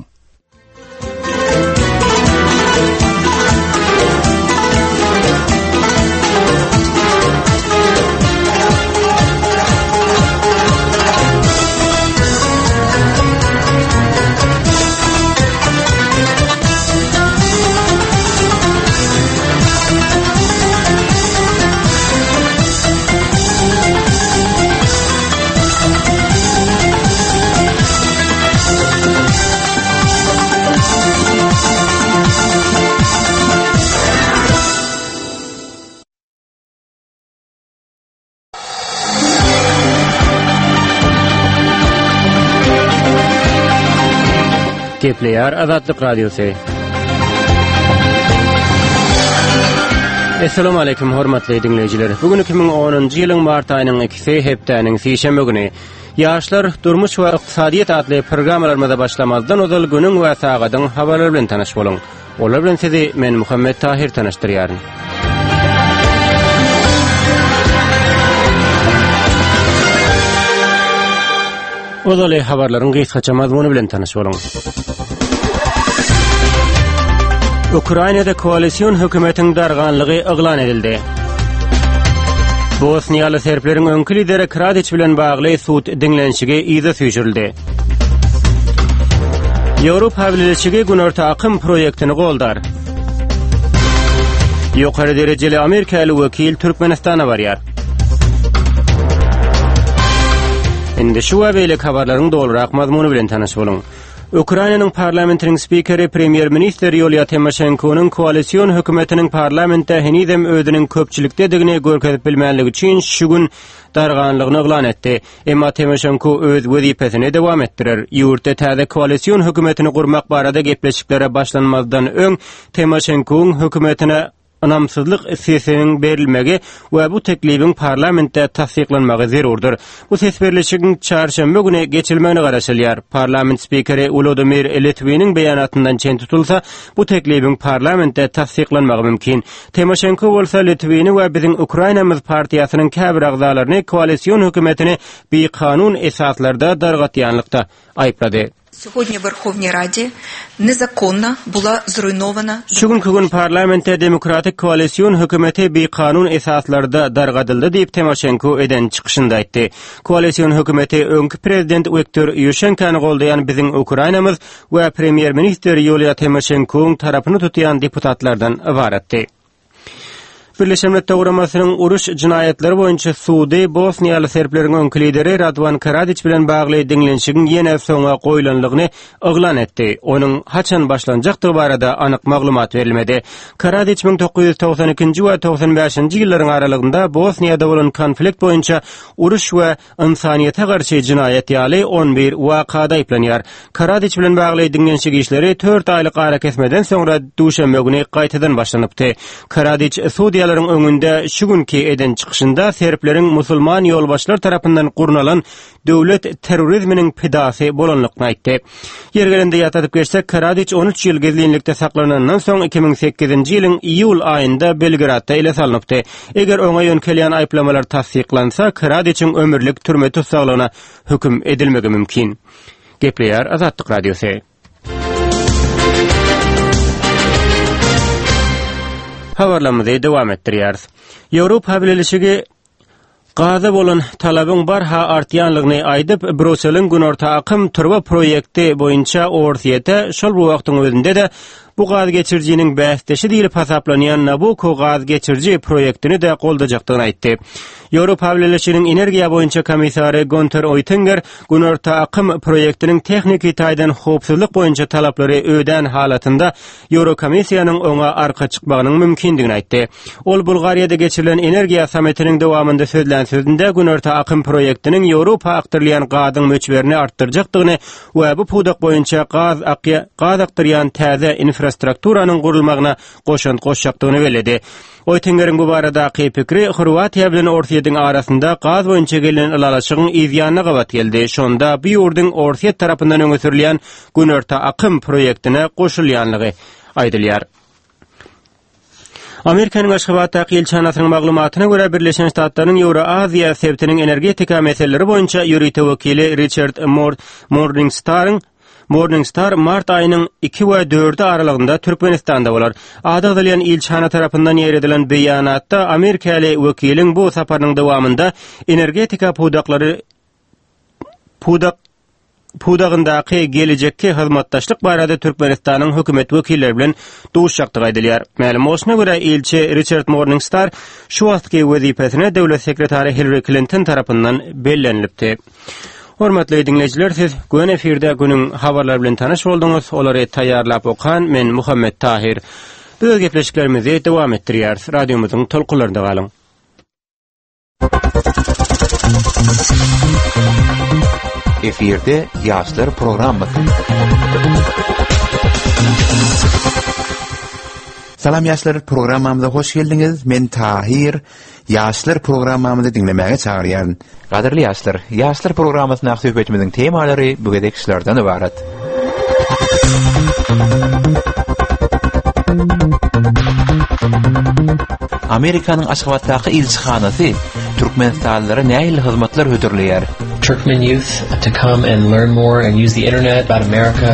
Gepleýär Azatlyk Radiosy. Essalamu aleýkum hormatly diňleýjiler. Bu gün iki müň onunjy ýylyň mart aýynyň ikisi hepdäniň sişenbe güni. Ýaşlar, durmuş we ykdysadyýet atly programmalarymyza başlamazdan ozal günüň we sagadyň habarlary bilen tanyş boluň. Olar bilen sizi men Muhammet Tahir tanyşdyrýaryn. Ozaly habarlaryň gysgaça mazmuny bilen tanyş boluň. Ukrainada koalision hökümetiň darganlygy yglan edildi. Bosniýaly serbleriň öňki lideri Kradiç bilen bagly sud diňlenişigi yza süýşürildi. Ýewropa Bileleşigi Günorta akym proýektini goldar. Ýokary derejeli amerikaly wekil Türkmenistana barýar. Indi şu we beýleki habarlaryň dolurak mazmuny bilen tanyş boluň. Ukrainanyň parlamentiniň spikeri premýer-ministr Ýuliýa Timoşenkonyň koalision hökümetiniň parlamentde henizem özüniň köpçülikdedigini görkezip bilmänligi üçin şu gün darganlygyny yglan etdi. Emma Timoşenko öz wezipesini dowam etdirer. Ýurtda täze koalision hökümetini gurmak barada gepleşiklere başlanmazdan öň Timoşenkoň hökümetine ynamsyzlyk sesiniň berilmegi we bu teklibiň parlamentde tassyklanmagy zerurdyr. Bu ses berlişigiň çarşenbe güni geçirilmegine garaşylýar. Parlament spikeri Wlodimir Litwiniň beýanatyndan çen tutulsa, bu teklibiň parlamentde tassyklanmagy mümkin. Timoşenko bolsa Litwini we Biziň Ukrainamyz partiýasynyň käbir agzalaryny koalision hökümetini bikanun esaslarda dargatýanlykda aýyplady. Сьогодні в Верховній Раді незаконно була зруйнована Şu günki gün parlamentde Demokratik koalision hökümeti bikanun esaslarda dargadyldy diýip Timoşenko eden çykyşynda aýtdy. Koalision hökümeti öňki prezident Wiktor Ýuşenkony goldaýan Biziň Ukrainamyz we premýer-ministr Ýuliýa Timoşenkoň tarapyny tutýan deputatlardan ybaratdy. Birleşen Milletler Guramasynyň uruş jenaýatlary boýunça sudy Bosniýaly serbleriň öňki lideri Radwan Karadiç bilen bagly diňlenişigiň ýene soňa goýlanlygyny yglan etdi. Onuň haçan başlanjakdygy barada anyk maglumat berilmedi. Karadiç müň dokuz ýüz togsan ikinji we togsan bäşinji ýyllaryň aralygynda Bosniýada bolan konflikt boýunça uruş we insaniýete garşy jenaýat ýaly on bir wakada aýyplanýar. Karadiç bilen bagly diňlenişik işleri dört aýlyk arakesmeden soňra duşenbe güni gaýtadan başlanypdy. Karadiç sudýalaryň öňünde şu günki eden çykyşynda serbleriň musulman ýolbaşçylar tarapyndan gurnalan döwlet terrorizminiň pidasy bolanlygyny aýtdy. Ýer gelende ýatladyp geçsek, Karadiç on üç ýyl gizlinlikde saklanandan soň iki müň sekizinji ýylyň iýul aýynda Belgradda ele salnypdy. Eger oňa ýönkelýän aýyplamalar tassyklansa, Karadiçiň ömürlik türme tussaglygyna höküm edilmegi mümkin. Gepleýär Azatlyk Radiosy. Habarlarymyzy dowam etdirýäris. Ýewropa Bileleşigi gaza bolan talabyň barha artýanlygyny aýdyp, Brüsseliň Günorta akym turba proýekti boýunça Orsýete şol bu wagtyň özünde-de bu gaz geçirijiniň bäsdeşi diýlip hasaplanýan Nabucco gaz geçiriji proýektini de goldajakdygyny aýtdy. Ýewropa Bileleşiginiň energiýa boýunça komissary Günther Oettinger Günorta akym proýektiniň tehniki taýdan howpsuzlyk boýunça talaplary ödän halatynda Ýewrokomissiýanyň oňa arka çykmagynyň mümkindigini aýtdy. Ol Bulgariýada geçirilen energiýa sammitiniň dowamynda sözlän sözünde Günorta akym proýektiniň Ýewropa akdyrylýan gazyň möçberini artdyrjakdygyny we bu pudak boýunça gaz akýa-, gaz akdyrýan täze infrastrukturanyň gurulmagyna goşant goşjakdygyny belledi. Oettingeriň bu baradaky pikri Horwatiýa bilen Orsýetiň arasynda gaz boýunça gelen ylalaşygyň yzýanyna gabat geldi. Şonda bu ýurduň Orsýet tarapyndan öňe sürülýän Günorta akym proýektine goşulýanlygy aýdylýar. Amerikanyň Aşgabatdaky ilçihanasynyň maglumatyna görä Birleşen Ştatlaryň Ýewroaziýa sebitiniň energetika meseleleri boýunça ýörite wekili Richard Mor-, Morningstaryň Morningstar mart aýynyň iki we dördi aralygynda Türkmenistanda bolar. Ady agzalýan ilçihana tarapyndan ýeredilen beýanatda Amerikaly wekiliň bu saparynyň dowamynda energetika pudaklary pudak pudagyndaky gelejekki hyzmatdaşlyk barada Türkmenistanyň hökümet wekilleri bilen duşakdygy aýdylýar. Mälim bolşuna görä ilçi Richard Morningstar şu wagtky wezipesine döwlet sekretary Hillary Clinton tarapyndan bellenilipdi. Hormatly dinleýjiler, siz gün efirde günüň habarlary bilen tanyş bolduňyz. Olary taýýarlap okan men Muhammet Tahir. Biz öz gepleşiklerimizi dowam etdirýäris. Radiomyzyň tolkunlarynda galyň. Efirde Ýaşlar programmasy. Salam ýaşlar programmamyza hoş geldiňiz. Men Tahir. Ýaşlar programmamyzy diňlemäge çagyrýaryn. Gadyrly ýaşlar, Ýaşlar programmasyna söhbetimiziň temalary bu gezek şulardan ibarat. Amerikanyň Aşgabatdaky ilçihanasy Türkmenistanlylara nähili hyzmatlar hödürleýär? Turkmen youth to come and learn more and use the internet about America.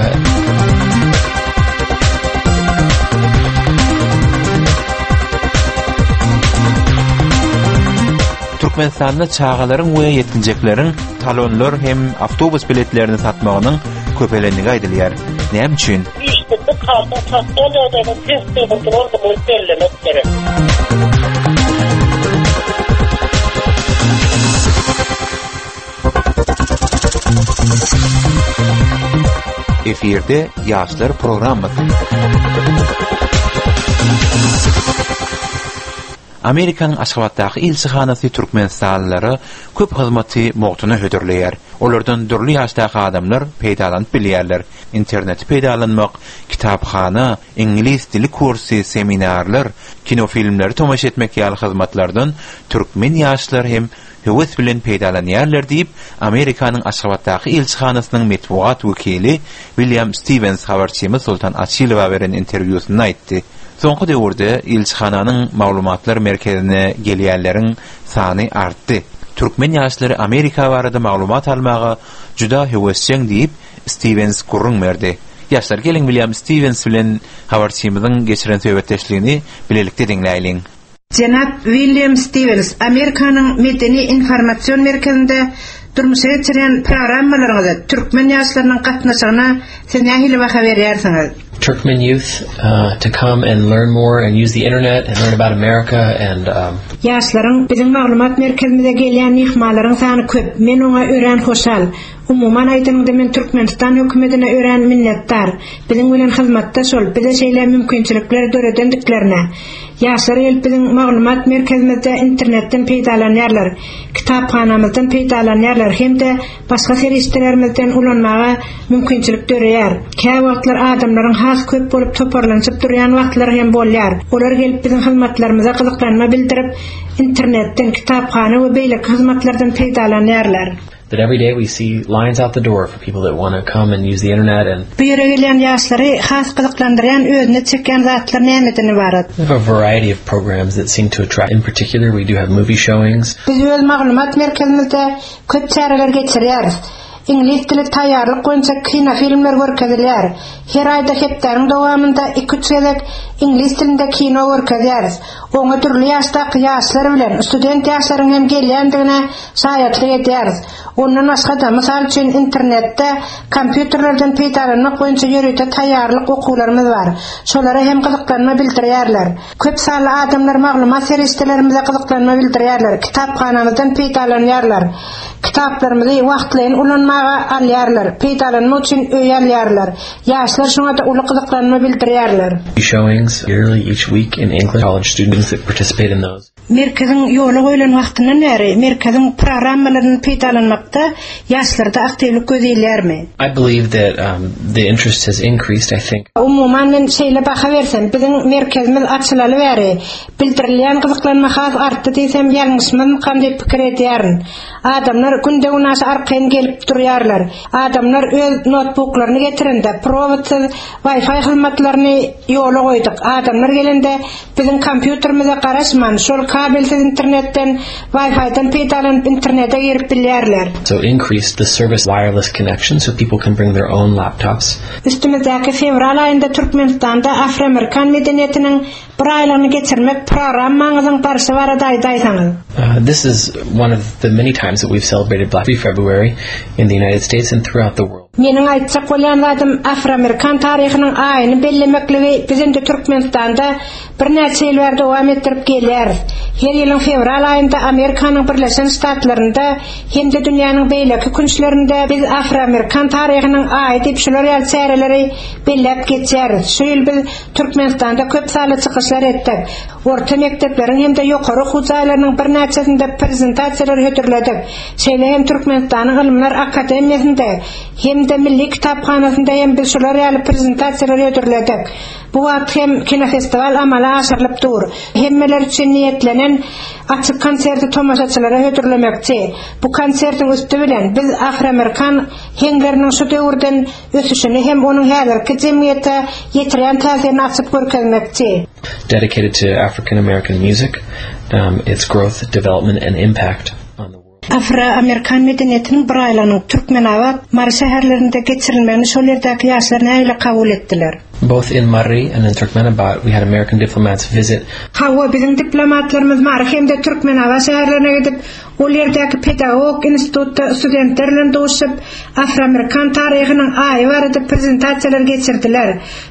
Türkmenistanda çagalaryň we ýetginjekleriň talonlar hem awtobus biletlerini satmagynyň köpelendigi aýdylýar. Näme üçin? İşte bu kartın sosial ýagdaýynyň pes durandygyny bellemek gerek. Efirde Ýaşlar programmasy. Amerikanyň Aşgabatdaky ilçihanasy Türkmenistanlylara köp hyzmaty mugtuna hödürleýär. Olardan dürli ýaşdaky adamlar peýdalanyp bilýärler. Interneti peýdalanmak, kitaphana, iňlis dili kursy, seminarlar, kinofilmleri tomaşa etmek ýaly hyzmatlardan türkmen ýaşlar hem höwes bilen peýdalanýarlar diýip, Amerikanyň Aşgabatdaky ilçihanasynyň metbugat wekili William Stevens habarçymyz Sultan Açilowa beren interwýusynda aýtdy. Soňky döwürde ilçihananyň maglumatlar merkezine gelýänleriň sany artdy. Türkmen ýaşlary Amerika barada maglumat almaga juda höwesjeň diýip Stevens gürrüň berdi. Ýaşlar geliň William Stevens bilen habarçymyzyň geçiren söhbetdeşligini bilelikde diňläýliň. Jenap William Stevens, Amerikanyň Medeni Informasion Merkezinde durmuşa geçirýän programmalaryňyza türkmen ýaşlarynyň gatnaşygyna siz nähili baha berýärsiňiz? Turkmen youth uh, to come and learn more and use the internet and learn about America and um, Ýaşlaryň biziň maglumat merkezimize gelýän myhmanlaryň sany köp. Men oňa örän hoşal. Umuman aýdanyňda men Türkmenistan hökümetine örän minnetdar. Biziň bilen hyzmatdaş bolup, bize şeýle mümkinçilikler döredendiklerine. Ýaşlar gelip biziň maglumat merkezimizde internetden peýdalanýarlar, kitaphanamyzdan peýdalanýarlar hem-de başga serişdelerimizden ulanmaga mümkinçilik döreýär. Käwagtlar adamlaryň has köp bolup toparlanyp durýan wagtlary hem bolýar. Olar gelip biziň hyzmatlarymyza gyzyklanma bildirip, internetden, kitaphana we beýleki hyzmatlardan peýdalanýarlar. that every day we see lines out the door for people that want to come and use the internet and Bu ýere gelýän ýaşlary has gyzyklandyrýan, özüne çekýän zatlar nämeden ibarat? we have a variety of programs that seem to attract. In particular, we do have movie showings. Biz öz maglumat merkezimizde köp çäreler geçirýäris. Iňlis dili taýýarlyk boýunça kinofilmler görkezilýär. Her aýda hepdäniň dowamynda iki-üç gezek iňlis dilinde kino görkezýäris. Oňa dürli ýaşdaky ýaşlar bilen student ýaşlaryň hem gelýändigine şaýatlyk edýäris. Ondan başga-da, mysal üçin internetde kompýuterlerden peýdalanmak boýunça ýörite taýýarlyk okuwlarymyz bar. Şolara hem gyzyklanma bildirýärler. Köp sanly adamlar maglumat serişdelerimize gyzyklanma bildirýärler, kitaphanamyzdan peýdalanýarlar. Kitaplarymyzy wagtlaýyn ulanmaga alýarlar, peýdalanmak üçin öý alýarlar. Ýaşlar şoňa da uly gyzyklanma bildirýärler. Showings yearly each week in English college students that participate in those. Merkeziň ýola goýlan wagtyndan bäri merkeziň programmalaryny peýdalanmakda ýaşlarda aktiwlik göz ilýärmi? I believe that um, the interest has increased. I think Umuman men şeýle baha bersem, biziň merkezimiz açylaly bäri bildirilýän gyzyklanma has artdy diýsem ýalňyşmazmykam diýip pikir edýärin. Adamlar günde-günaşa arkaýyn gelip durýarlar. Adamlar öz notebooklaryny getirende prowodsyz Wi-Fi hyzmatlaryny ýola goýduk. Adamlar gelende biziň kompýuterimize garaşman, şol kabelsiz internetden Wi-Fi-den peýdalanyp internete girip bilýärler. so increased the service wireless connection so people can bring their own laptops. Üstümizdäki fewral aýynda Türkmenistanda Afroamerikan medeniýetiniň bir aýlygyny geçirmek programmaňyzyň barşy barada aýdaýsaňyz. Uh, this is one of the many times that we've celebrated Black February in the United States and throughout the world. Meniň aýtjak bolýan zadym Afroamerikan taryhynyň aýyny bellemekligi biz indi Türkmenistanda birnäçe ýyl bäri dowam etdirip gelýäris. Her ýylyň fewral aýynda Amerikanyň Birleşen Ştatlarynda hem-de dünýäniň beýleki künçlerinde biz Afroamerikan taryhynyň aýy diýip şular ýaly çäreleri belläp geçýäris. Şu ýyl biz Türkmenistanda köp sanly çykyşlar etdik. Orta mekdepleriň hem-de ýokary okuw jaýlarynyň birnäçesinde prezentasiýalar hödürledik. Şeýle hem Türkmenistanyň Ylymlar Akademiýasynda hem-de Milli kitaphanasynda hem biz şular ýaly prezentasiýalar hödürledik. Bu wagt hem kinofestiwal amala aşyrylyp dur. Hemmeler üçin niýetlenen açyk konserti tomaşaçylara hödürlemekçi. Bu konsertiň üsti bilen biz Afroamerikan heňleriniň şu döwürden ösüşini hem onuň häzirki jemgyýete ýetirýän täsirini açyp görkezmekçi. Dedicated to African American music, um, its growth, development and impact on the world. Afroamerikan medeniýetiniň bir aýlygynyň Türkmenabat, Mary şäherlerinde geçirilmegini şol ýerdäki ýaşlar nähili kabul etdiler? Both in Mary and in Turkmenabat, we had American diplomats visit. Hawa, biziň diplomatlarymyz Mary hem-de Türkmenabat şäherlerine gidip, ol ýerdäki pedagog institutda studentler bilen duşup, Afroamerikan taryhynyň aýy barada prezentasiýalar geçirdiler.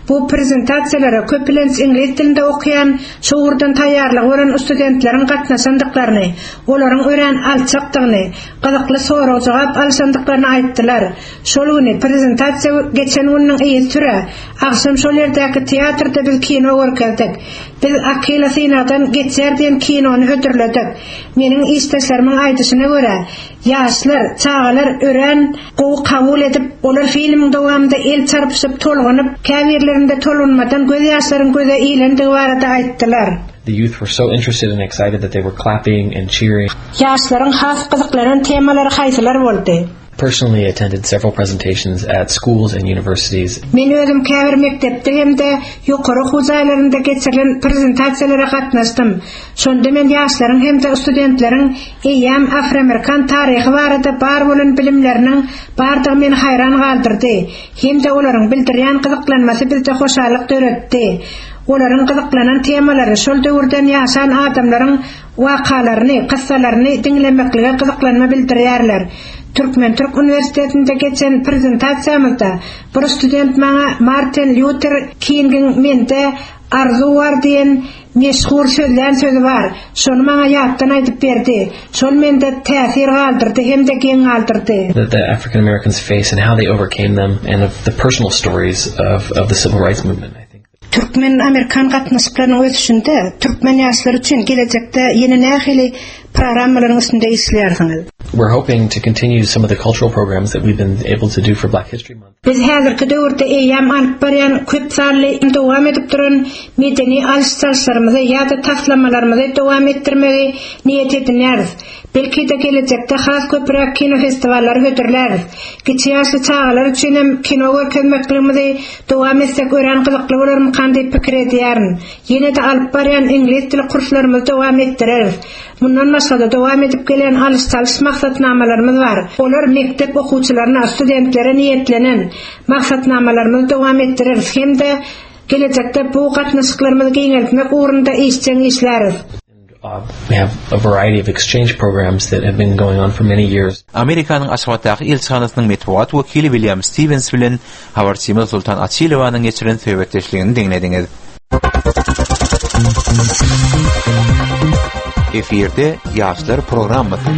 Bu prezentasiýalara köplenç iňlis dilinde okaýan, şu ugurdan taýýarlygy bolan studentleriň gatnaşandyklaryny, olaryň örän alçakdygyny, gyzykly sorag-jogap alşandyklaryny aýtdylar. Şol güni prezentasiýa geçen gününiň yzysüre agşam şol ýerdäki teatrda biz kino görkezdik. Biz Akila synagdan geçýär diýen kinony hödürledik. Meniň işdeşlerimiň aýdyşyna görä, ýaşlar, çagalar örän gowy kabul edip, olar filmiň dowamynda el çarpyşyp, tolgunyp, käbirlerinde tolgunmadan göz ýaşlaryň göze ilendigi barada aýtdylar. The youth were so interested and excited that they were clapping and cheering. Ýaşlaryň has gyzyklanan temalary haýsylar boldy? Personally attended several presentations at schools and universities. Men özüm käbir mekdepde hem-de ýokary okuw jaýlarynda geçirilen prezentasiýalara gatnaşdym. Şonda men ýaşlaryň hem-de studentleriň eýýäm Afroamerikan taryhy barada bar bolan bilimleriniň bardygy meni haýran galdyrdy. Hem-de olaryň bildirýän gyzyklanmasy bizde hoşallyk döretdi. Olaryň gyzyklanan temalary şol döwürden ýaşan adamlaryň wakalaryny, kyssalaryny diňlemeklige gyzyklanma bildirýärler. Türkmen-Türk Uniwersitetinde geçen prezentasiýamyzda bir student maňa Martin Luther Kingiň mende arzuw bar diýen meşhur sözlän sözi bar. Şony maňa ýatdan aýdyp berdi. Şol mende täsir galdyrdy hem-de geň galdyrdy. That the African Americans face and how they overcame them and of the personal stories of, of the civil rights movement. I think. Türkmen-Amerikan gatnaşyklarynyň ösüşinde türkmen ýaşlary üçin gelejekde ýene nähili programmalaryň üstünde işleýärsiňiz? We're hoping to continue some of the cultural programs that we've been able to do for Black History Month. Biz häzirki döwürde eýýäm alyp barýan köp sanly dowam edip duran medeni alyş-çalyşlarymyzy ýa-da taslamalarymyzy dowam etdirmegi niýet edinýäris. Belki-de gelejekde has köpräk kino festiwallary hödürläris. Kiçi ýaşly çagalar üçin hem kino görkezmekligimizi dowam etsek örän gyzykly bolarmykan diýip pikir edýärin. Ýene-de alyp barýan iňlis dili kurslarymyzy dowam etdireris. Mundan başga-da dowam edip gelen alyş-çalyş maksatnamalarymyz bar. Olar mekdep okuwçylaryna, studentlere niýetlenen maksatnamalarymyzy dowam etdireris hem-de gelejekde bu gatnaşyklarymyzy giňeltmek ugrunda işjeň işläris. Uh, we have a variety of exchange programs that have been going on for many years. Amerikanyň Aşgabatdaky ilçihanasynyň metbugat wekili William Stevens bilen habarçymyz Sultan Açilowanyň geçiren söhbetdeşligini diňlediňiz. Efirde Ýaşlar programmasy.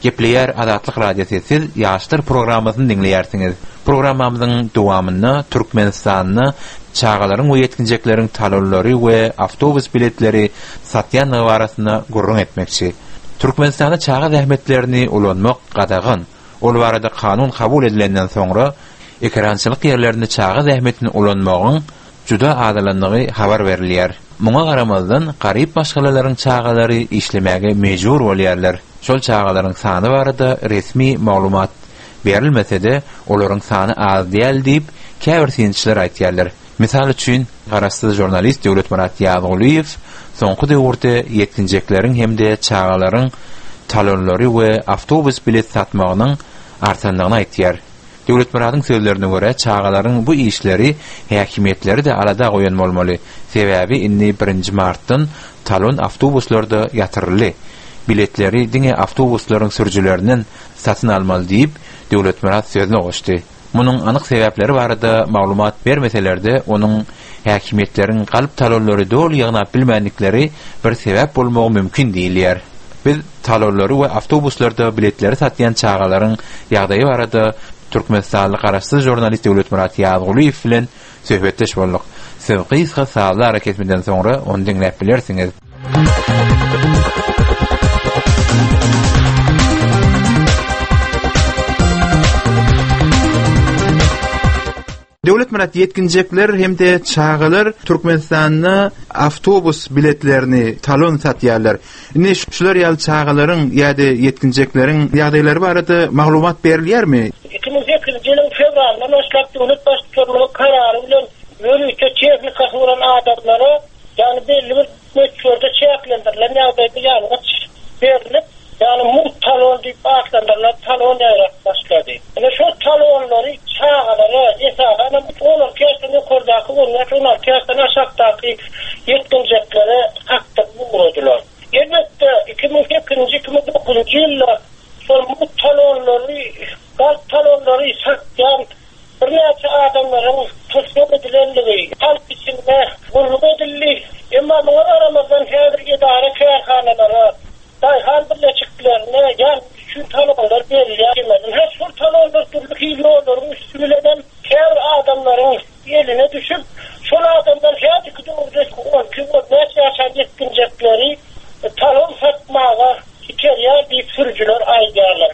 Gepleýär Azatlyk Radiosy siz Ýaşlar programmasyny diňleýärsiňiz. Programmamyzyň dowamynda Türkmenistanda çagalaryň we ýetginjekleriň talonlary we awtobus biletleri satýanlygy barasynda gürrüň etmekçi. Türkmenistanda çaga zähmetlerini ulanmak gadagan. Ol barada kanun kabul edilenden soňra ekerançylyk ýerlerinde çaga zähmetini ulanmagyň juda azalandygy habar berilýär. Muňa garamazdan garyp maşgalalaryň çagalary işlemäge mejbur bolýarlar. Şol çagalaryň sany barada resmi maglumat berilmese-de, olaryň sany az däl diýip, käbir synçylar aýtýarlar. Misal üçin, garaşsyz žurnalist Döwletmyrat Ýazgulyýew soňky döwürde ýetginjekleriň hem-de çagalaryň talonlary we awtobus bilet satmagynyň artandygyny aýtýar. Döwletmyradyň sözlerine görä, çagalaryň bu işleri häkimiýetleri-de alada goýan bolmaly. Sebäbi indi birinji martdan talon awtobuslarda ýatyryldy. Biletleri diňe awtobuslaryň sürüjilerinden satyn almaly diýip, Döwletmyrat sözüne goşdy. Munuň anyk sebäpleri barada maglumat bermeseler-de, onuň häkimiýetleriň galp talonlary doly ýygnap bilmändikleri bir sebäp bolmagy mümkin diýilýär. Biz talonlary we awtobuslarda biletleri satýan çagalaryň ýagdaýy barada Türkmenistanly garaşsyz žurnalist Döwletmyrat Ýazgulyýew bilen söhbetdeş bolduk. Siz gysga sazly arakesmeden soňra ony diňläp bilersiňiz. Döwletmyrat ýetginjekler hem-de çagalar Türkmenistanda awtobus biletlerini talon satýarlar. Indi şular ýaly çagalaryň ýa-da ýetginjekleriň ýagdaýlary barada maglumat berilýärmi? Iki müň sekizinji ýylyň fewralyndan başlap döwlet baştutanlygy karary bilen ýörite tehnikasy bolan adamlara, ýagny belli bir möçberde çäklendirilen ýagdaýda ýangyç berilip, ýagny mugt talon diýip atlandyrylan talon ýaýrap başlady. Ine şol talonlary çagalara, esasan hem on alty ýaşdan ýokardaky, on bäş on alty ýaşdan aşakdaky ýetginjeklere satdyryp ugradylar. Elbetde iki müň sekizinji, iki müň dokuzunjy ýylda şol mugt talonlary, galp talonlary satýan birnäçe adamlaryň tussag edilendigi halk içinde gürrüň edildi. Emma muňa garamazdan häzir edara kärhanalara, daýhan birleşiklerine ýangyç üçin talonlar berilýär. Her şol talonlar dürli hil ýollaryň üstü bilen käbir adamlaryň eline düşüp, şol adamlar häzirki döwürde on iki, on bäş ýaşan ýetginjekleri talon satmaga iterýär diýip sürüjiler aýdýarlar.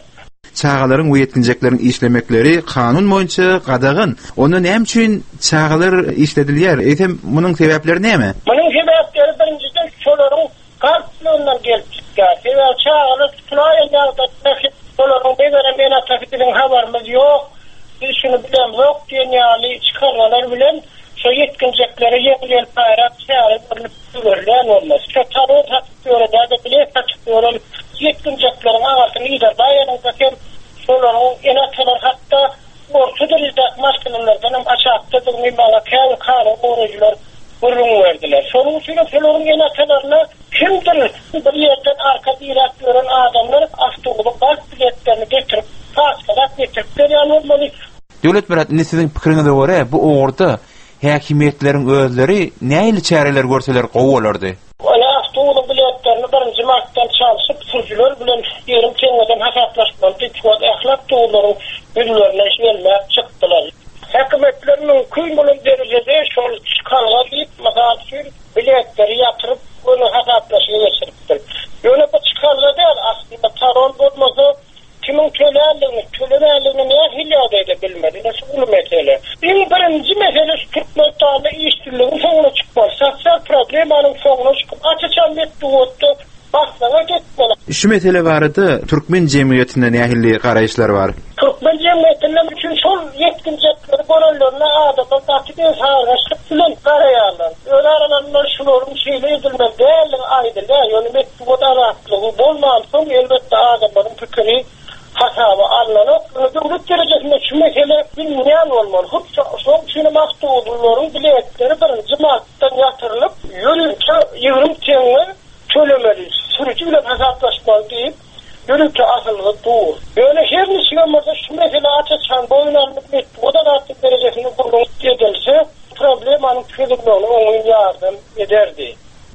Çagalaryň we ýetginjekleriň işlemekleri kanun boýunça gadagan. Onda näme üçin çagalar işledilýär? Eýsem munuň sebäpleri näme? Munuň sebäpleri birinjiden şolaryň galplygyndan gelip çykýar. Sebäbi çagalar tutulaýan ýagdaýda şolaryň megerem ene-atasy biziň habarymyz ýok, biz şuny bilemzok diýen ýaly çykarmalar bilen şo ýetginjeklere ýeňil-ýelpaýrak çäre görlüp görülýän bolmaz. Şo talon satyp ýören ýa-da bilet satyp ýören ýetginjekleriň agasyny ýerbaýanynda hem şolaryň ene-atalary hatda orta derejedäki maşgalalardan hem aşakdadygyny maňa käbir kanun goraýjylar gürrüň berdiler. Şonuň üçin hem şolaryň ene-atalaryna kimdir bir ýerden arka diräp ýören adamlar awtobusyň galp biletlerini getirip, paçkalap getirip berýän bolmaly. Döwletmyrat, indi siziň pikiriňize görä bu ugurda häkimiýetleriň özleri nähili çäreler görseler gowy bolardy? Ony awtobusyň biletlerini birinji martdan çalşyp, sürüjiler bilen ýerim teňňeden hasaplaşmaly diýip, şu wagt ahlak döwürleriň ýüzlerine gelmäp çykdylar. Häkimiýetler mümkin bolan derejede şol çykalga diýip, mysal üçin biletleri ýatyryp, ony hasaplaşyga geçiripdir. Ýöne bu çykalga däl, aslynda talon bolmasa kimin tölendigini, tölemändigini nähili ýagdaýda bilmeli? Ine şu uly mesele. Iň birinji mesele şu Türkmenistanda işsizligiň soňuna çykmaly, sosial problemanyň soňuna çykyp, aç-açan metbugatda maslahat etmeli. Şu mesele barada türkmen jemgyýetinde nähili garaýyşlar bar? Türkmen jemgyýetinde üçin şol ýetginjekleri görenlerine adamlar gaty bir sargaşlyk bilen garaýarlar. Öz aralarynda şularyň şeýle edilmeli däldigi aýdylýar. Ýöne metbugat azatlygy bolmansoň elbetde adamlaryň pikiri hasaba alynanok. Döwlet derejesinde şu mesele bilinýän bolmaly. Hut şonuň üçin hem awtobuslaryň biletleri birinji martdan ýatyrylyp, ýörite ýigrimi teňňe tölemeli, sürüji bilen hasaplaşmaly diýip, ýörite asylgy dur. Ýöne her niçigem bolsa şu mesele aç-açan boýun alnyp metbugat azatlyk derejesinde gürrüň edilse, problemanyň çözülmegine oňyn ýardam ederdi.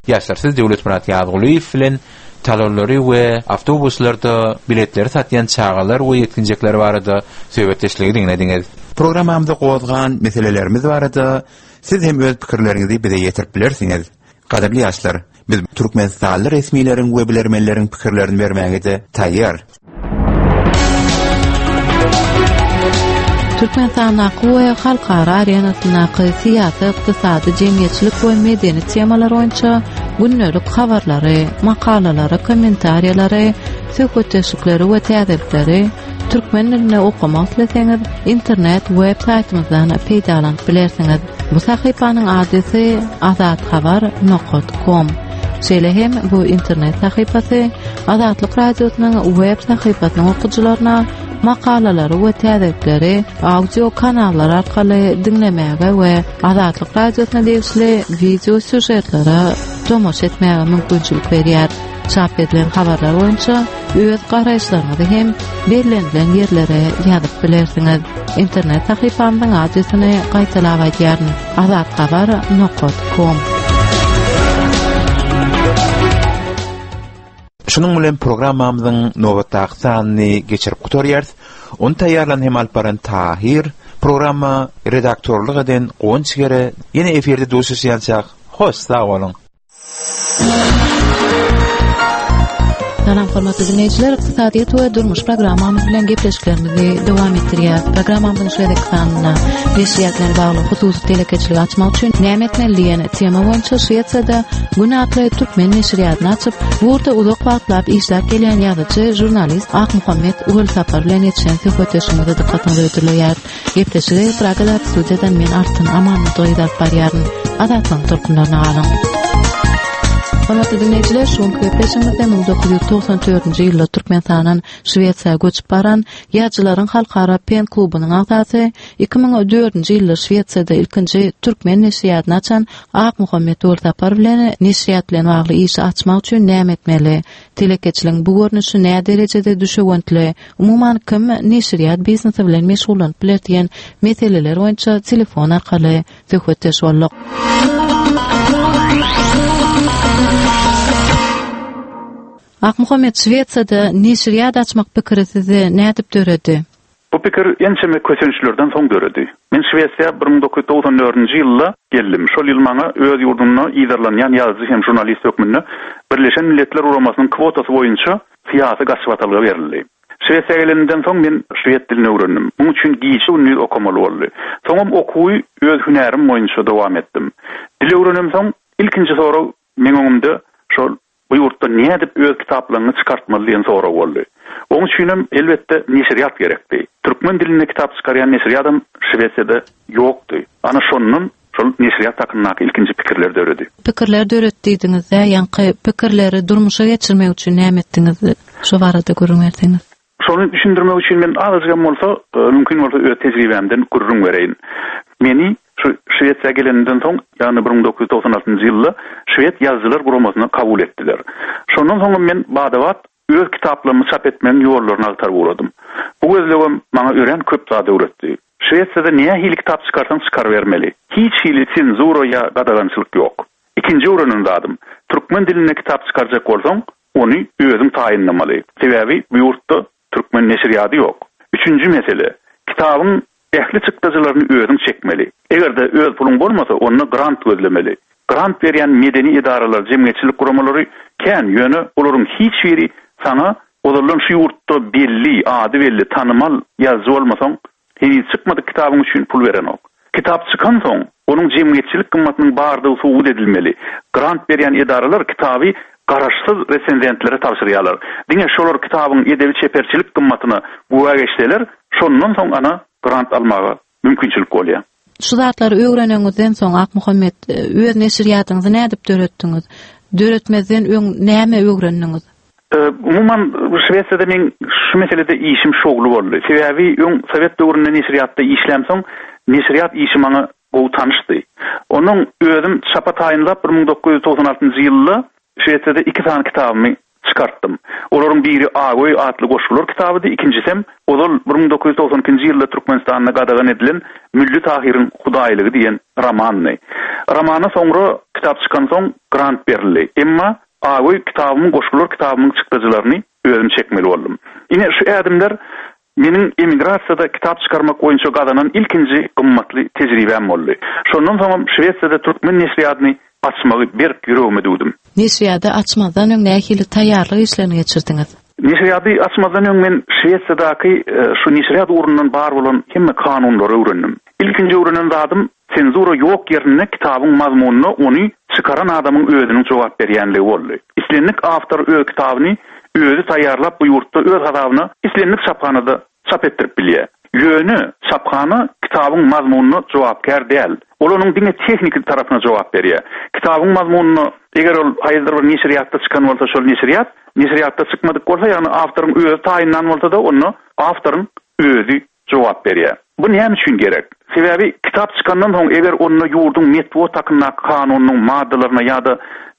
Ýaşlar, siz Döwletmyrat Ýazgulyýew bilen talonlary we awtobuslarda biletleri satýan çagalar we ýetginjekler barada söhbetdeşligi diňlediňiz. Programmamyzda gozgan meselelerimiz barada siz hem öz pikirleriňizi bize ýetirip bilersiňiz. Gadyrly ýaşlar, biz Türkmenistanly resmileriň we bilermenleriň pikirlerini bermäge de taýýar. Türkmenistandaky we halkara arenasyndaky syýasy, ykdysady, jemgyýetçilik we medeni temalar boýunça gündelik habarlary, makalalary, kommentariýalary, söhbetdeşlikleri we täzelikleri türkmen dilinde okamak isleseňiz, internet web saýtymyzdan peýdalanyp bilersiňiz. Bu sahypanyň adresi azathabar nokta com. Şeýle hem bu internet sahypasy Azatlyk Radiosynyň web sahypasynyň okyjylaryna makalalary we täzelikleri audio kanallar arkaly diňlemäge we Azatlyk Radiosyna degişli video sýužetlere tomaşa etmäge mümkinçilik berýär. Çap edilen habarlar boýunça öz garaýyşlaryňyzy hem bellenilen ýerlere ýazyp bilersiňiz. Internet sahypamyzyň adresini gaýtalap aýdýaryn: azathabar nokta com. Şunuň bilen programmamyzyň nobatdaky sanyny geçirip gutarýarys. Ony taýýarlan hem alyp baran Tahir, programma redaktorlyk eden Guwanç Gere, ýene efirde duşuşýançak. Hoş sag boluň. Salam hormatly dinleýjiler, ykdysadyýet we durmuş programmamyz bilen gepleşiklerimizi dowam etdirýäris. Programmamyzyň şu gezekki sanynda neşirýat bilen bagly hususy telekeçiligi açmak üçin näme etmeli diýen tema boýunça Şwesiýada Gün atly türkmen neşirýatyny açyp, bu ugurda uzak wagtlap işläp gelýän ýazyjy, žurnalist Akmuhammet Welsapar bilen geçen söhbetdeşligimize dykgatyňyzy hödürleýäris. Gepleşigi Pragada studiýadan men Altyn Amanmyradowa alyp barýaryn. Azatlygyň tolkunlaryna galyň. Hormatly dinleýjiler, şu günki gepleşigimizde müň dokuz ýüz togsan dördünji ýylda Türkmenistandan Şwesiýa göçüp baran ýazyjylaryň halkara PEN klubunyň agzasy, iki müň dördünji ýylda Şwesiýada ilkinji türkmen neşirýatyny açan Akmuhammet Welsapar bilen neşirýat bilen bagly işi açmak üçin näme etmeli? Telekeçiligiň bu görnüşi nä derejede düşewüntli? Umuman kim neşirýat biznesi bilen meşgullanyp biler diýen meseleler boýunça telefon arkaly söhbetdeş bolduk. Akmuhammet, Şwesiýada neşirýat açmak pikiri sizi nädip döredi? Bu pikir ençeme kösençlerden soň döredi. Men Şwesiýa bir müň dokuz ýüz togsan dördünji ýylda geldim. Şol ýyl maňa öz ýurdumda yzarlanýan ýazyjy hem žurnalist hökmünde Birleşen Milletler Guramasynyň kwotasy boýunça syýasy gaçybatalga berildi. Şwesiýa gelenimden soň men şwed dilini öwrendim. Muň üçin gije-gündiz okamaly boldy. Soňam okuwy öz hünärim boýunça dowam etdim. Dil öwrenem soň ilkinji sorag meň öňümde şol bu ýurtda nädip öz kitaplaryny çykartmaly diýen sorag boldy. Onuň üçinem elbetde neşirýat gerekdi. Türkmen dilinde kitap çykarýan neşirýadam Şwesiýada ýokdy. Ana şondan şol neşirýat hakyndaky ilkinji pikirler döredi. Pikirler döretdi diýdiňiz-de, ýaňky pikirleri durmuşa geçirmek üçin näme etdiňiz? Şu barada gürrüň berseňiz. Şony düşündirmek üçin men azajygam bolsa, e, mümkin bolsa öz tejribämden gürrüň bereýin. Meni şu Şwesiýa geleninden soň, ýagny bir müň dokuz ýüz togsan altynjy ýylda Şwed ýazyjylar guramasyna kabul etdiler. Şondan soň men badabat öz kitaplarymy çap etmegiň ýollaryny agtaryp uradym. Bu gözlegem maňa örän köp zat öwretdi. Şwesiýada nähili kitap çykarsaň çykar bermeli. Hiç hili senzura ýa gadagançylyk ýok. Ikinji öwrenen zadym, türkmen dilinde kitap çykarjak bolsaň, ony özüň taýynlamaly. Sebäbi bu ýurtda türkmen neşirýady ýok. Üçünji mesele, kitabyň ähli çykdajylaryny özüň çekmeli. Eger-de öz puluň bolmasa, onda grant gözlemeli. Grant berýän medeni edaralar, jemgyýetçilik guramalary kän, ýöne olaryň hiç biri sana ozaldan şu ýurtda belli, ady belli, tanymal ýazyjy bolmasaň, heniz çykmadyk kitabyň üçin pul berenok. Kitap çykan soň, onuň jemgyýetçilik gymmatynyň bardygy subut edilmeli. Grant berýän edaralar kitaby garaşsyz resenzentlere tabşyrýarlar. Diňe şolar kitabyň edebi çeperçilik gymmatyna güwä geçseler, şondan soň ana grant almaga mümkinçilik bolýar. Şu zatlary öwreneňizden soň Akmuhammet, öz neşirýatyňyzy nädip döretdiňiz? Döretmezden öň näme öwrendiňiz? E, umuman Şwesiýada men şu meselede işim şowly boldy. Sebäbi öň Sowet döwründe neşirýatda işläm soň, neşirýat işi maňa gowy tanyşdy. Onuň özüm çapa taýynlap bir müň dokuz ýüz togsan altynjy ýylda Şwesiýada iki sany kitabymy çykartdym. Olaryň biri Agoý atly goşgular kitabydy, ikinjisem ozal bir müň dokuz ýüz togsan ikinji ýylda Türkmenistanda gadagan edilen Mülli Tahyryň Hudaýlygy diýen romandy. Romana soňra kitap çykan soň grant berildi. Emma Agoý kitabymyň, goşgular kitabymyň çykdajylaryny özüm çekmeli boldum. Ine şu ädimler meniň emigrasiýada kitap çykarmak boýunça gazanan ilkinji gymmatly tejribäm boldy. Şondan soňam Şwesiýada türkmen neşirýatyny açmagy berk ýüregime düwdüm. Neşirýady açmazdan öň nähili taýýarlyk işlerini geçirdiňiz? Neşirýady açmazdan öň men Şwesiýadaky, e, şu neşirýat ugrundan bar bolan hemme kanunlary öwrendim. Ilkinji öwrenen zadym senzura ýok ýerinde kitabyň mazmunyna ony çykaran adamyň özüniň jogap berýänligi boldy. Islendik awtor öz kitabyny özi taýýarlap bu ýurtda öz hasabyna islendik çaphanada çap etdirip bilýär. Ýöne çaphana kitabyň mazmunyna jogapkär däl. Ol onuň diňe tehniki tarapyna jogap berýär. Kitabyň mazmunyna eger ol haýsydyr bir neşirýatda çykan bolsa, şol neşirýat, neşirýatda çykmadyk bolsa, ýagny awtoryň özi taýynlan bolsa da, onda awtoryň özi jogap berýär. Bu näme üçin gerek? Sebäbi kitap çykandan soň eger onda ýurduň metbugat hakyndaky kanunynyň maddalaryna ýa-da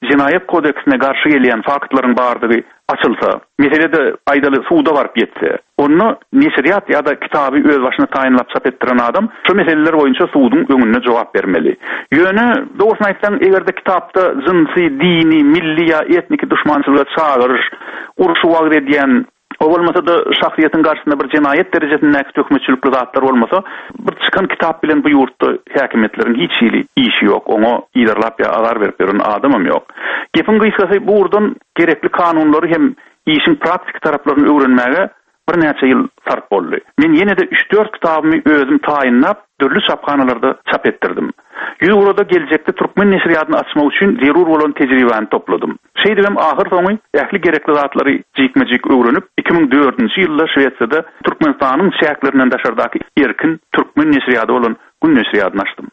jenaýat kodeksine garşy gelýän faktlaryň bardygy açylsa, mesele-de aýdaly suda baryp ýetse, onda neşirýat ýa-da kitaby özbaşyna taýynlap çap etdiren adam şu meseleler boýunça suduň öňünde jogap bermeli. Ýöne, dogrusyny aýtsaň, eger-de kitapda jynsy, dini, milli ýa etniki duşmançylyga çagyryş, urşy wagyz edýän, o bolmasa-da şahsyýetiň garşysynda bir jenaýat derejesindäki töhmetçilikli zatlar bolmasa, bir çykan kitap bilen bu ýurtda häkimiýetleriň hiç hili işi ýok, oňa yzarlap ýa azar berip ýören adamam ýok. Gepiň gysgasy, bu ugurdan gerekli kanunlary hem işiň praktiki taraplaryny öwrenmäge birnäçe ýyl sarp boldy. Men ýene-de üç-dört kitabymy özüm taýynlap, dürli çaphanalarda çap etdirdim. Ýüzugrada geljekde türkmen neşirýadyny açmak üçin zerur bolan tejribäni topladym. Şeýdibem ahyrsoňy ähli gerekli zatlary jikme-jik öwrenip, iki müň dördünji ýylda Şwesiýada Türkmenistanyň çäklerinden daşardaky erkin türkmen neşirýady bolan Gün neşirýadyny açdym.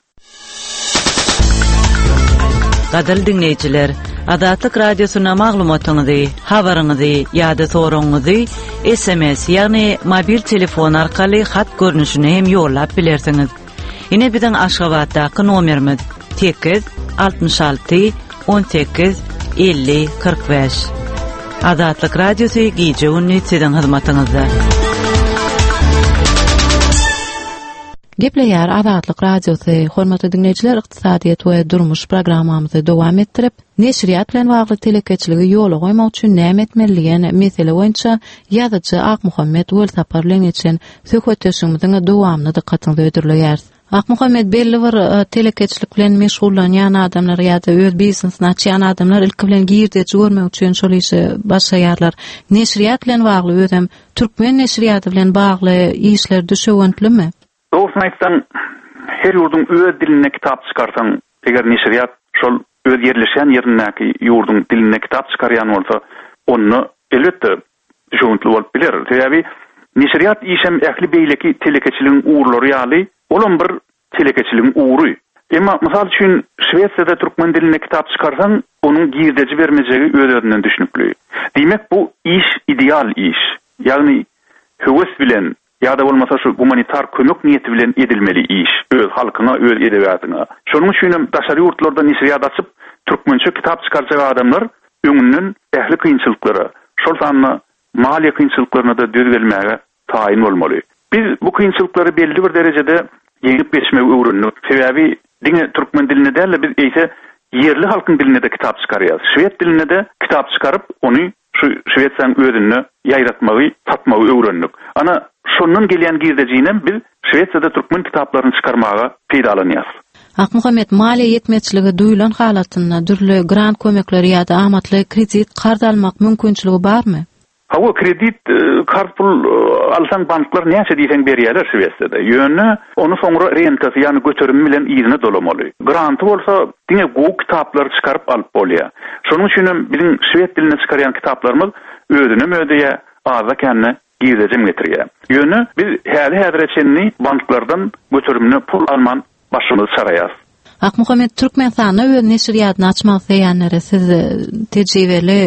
Gadyrly diňleýjiler, Azatlyk Radiosyna maglumatyňyzy, habaryňyzy ýa-da soragyňyzy S M S, ýagny mobil telefon arkaly hat görnüşinde hem ýollap bilersiňiz. Ine biziň Aşgabatdaky nomerimiz sekiz altmyş alty on sekiz elli kyrk bäş. Azatlyk Radiosy gije gündüz siziň hyzmatyňyzda. Gepleýär Azatlyk Radiosy. Hormatly diňleýjiler, ykdysadyýet we durmuş programmamyzy dowam etdirip, neşirýat bilen bagly telekeçiligi ýola goýmak üçin näme etmeli diýen mesele boýunça ýazyjy Akmuhammet Welsapar bilen geçen söhbetdeşligimiziň dowamyny dykgatyňyza hödürleýäris. Akmuhammet, belli bir, e, telekeçilik bilen meşgullanýan adamlar ýa-da öz biznesini açýan adamlar ilki bilen girdeji görmek üçin şol işe başlaýarlar. Neşirýat bilen bagly özem türkmen neşirýaty bilen bagly işler düşewüntlimi? Dogrusyny aýtsaň, her ýurduň öz dilinde kitap çykarsaň, eger neşirýat şol öz ýerleşen ýerindäki ýurduň dilinde kitap çykarýan bolsa, onda elbetde düşewüntli bolup biler. Sebäbi neşirýat işem ähli beýleki telekeçiligiň ugurlary ýaly, olam bir telekeçiligiň ugry. Emma mysal üçin Şwesiýada türkmen dilinde kitap çykarsaň, onuň girdeji bermejegi öz-özünden düşnükli. Diýmek, bu iş ideal iş. Ýagny höwes bilen ýa-da bolmasa şu gumanitar kömek niýeti bilen edilmeli iş, öz halkyňa, öz edebiýatyňa. Şonuň üçin hem daşary ýurtlarda neşirýat açyp, türkmençe kitap çykarjak adamlar öňünden ähli kynçylyklara, şol sanda maliýe kynçylyklaryna da döz gelmäge taýyn bolmaly. Biz bu kynçylyklary belli bir derejede ýeňip geçmegi öwrendik. Sebäbi diňe türkmen dilinde däl-de biz eýse ýerli halkyň dilinde de kitap çykarýarys. Şwed dilinde de kitap çykaryp, ony şu Şwesiýanyň özünde ýaýratmagy, satmagy öwrendik. Ana şondan gelýän girdejinem biz Şwesiýada türkmen kitaplaryny çykarmaga peýdalanýarys. Akmuhammet, maliýe ýetmezçiligi duýulan halatynda dürli grant kömekleri ýa-da amatly kredit karz almak mümkinçiligi barmy? Hawa, kredit, e, karz pul, e, alsaň banklar näçe diýseň berýärler Şwesiýada. Ýöne ony soňra rentasy, ýagny göterimi bilen yzyna dolamaly. Granty bolsa diňe gowy kitaplary çykaryp alyp bolýar. Şonuň üçin hem biziň şwed dilinde çykarýan kitaplarymyz özüne mödeýär, azda kände girdejem getirýär. Ýöne biz häli-häzire çenli banklardan göterimine pul alman başymyzy çaraýarys. Akmuhammet, Türkmenistanda öz neşirýadyny açmak isleýänlere siz, e, tejribeli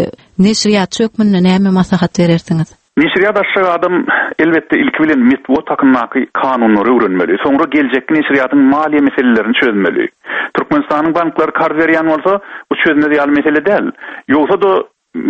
neşirýatçy hökmünde näme maslahat berersiňiz? Neşirýat açjak adam elbetde ilki bilen metbugat hakyndaky kanunlary öwrenmeli. Soňra geljekki neşirýatyň maliýe meselelerini çözmeli. Türkmenistanyň banklary karz berýän bolsa, bu çözmez ýaly mesele däl. Ýogsa-da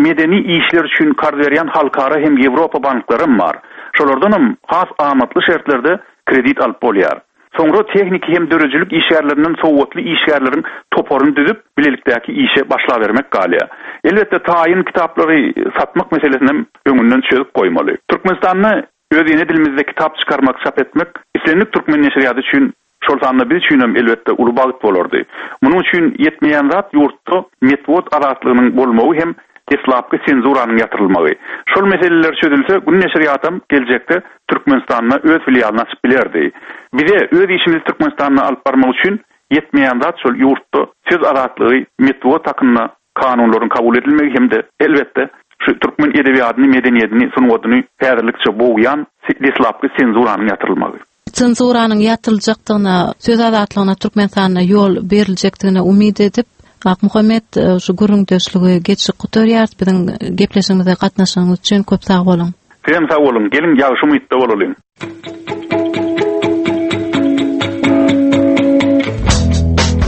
medeni işler üçin karz berýän halkara hem Ýewropa banklary hem bar. Şolardan hem has amatly şertlerde kredit alyp bolýar. Soňra tehniki hem döredijilik işgärlerinden sowatly işgärleriň toparyny düzüp, bilelikdäki işe başlabermek galýar. Elbetde taýyn kitaplary satmak meselesini hem öňünden çözüp goýmaly. Türkmenistanda öz ene dilimizde kitap çykarmak, çap etmek islendik türkmen neşirýaty üçin, şol sanda biz üçin hem elbetde uly bagt bolardy. Munuň üçin ýetmeýän zat ýurtda metbugat azatlygynyň bolmagy hem deslapky senzuranyň ýatyrylmagy. Şol meseleler çözülse, Gün neşirýatam geljekde Türkmenistanda öz filialyny açyp bilerdi. Bize öz işimizi Türkmenistanda alyp barmak üçin ýetmeýän zat şol ýurtda söz azatlygy, metbugat hakynda kanunlaryň kabul edilmegi hem-de elbetde şu türkmen edebiýatyny, medeniýetini, sungatyny häzirlikçe bogýan deslapky senzuranyň ýatyrylmagy. Senzuranyň ýatyryljakdygyna, söz azatlygyna Türkmenistanda ýol beriljekdigine umyt edip, Akmuhammet, e, şu gürrüňdeşligi geçip gutarýarys. Biziň gepleşigimize gatnaşanyňyz üçin köp sag boluň. Sizem sag boluň. Geliň, ýagşy umytda bolalyň.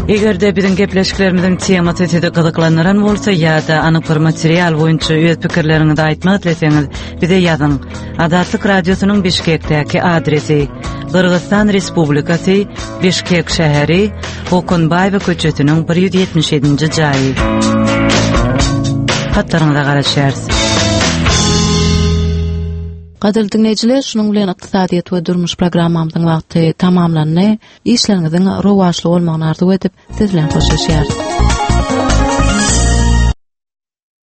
Eger-de biziň gepleşiklerimiziň temasy sizi gyzyklandyran bolsa ýa-da anyk bir material boýunça öz pikirleriňizi aýtmak isleseňiz, bize ýazyň. Azatlyk Radiosynyň Bişkekdäki adresi: Gyrgyzystan Respublikasy, Bişkek şäheri, Okunbaýewa köçesiniň bir ýüz ýetmiş ýedinji jaýy. Hatlaryňyza garaşýarys. Gadyrly diňleýjiler, şunuň bilen ykdysadyýet we durmuş programmamyzyň wagty tamamlandy. Işleriňiziň rowaçly bolmagyny arzuw edip, siz bilen hoşlaşýarys.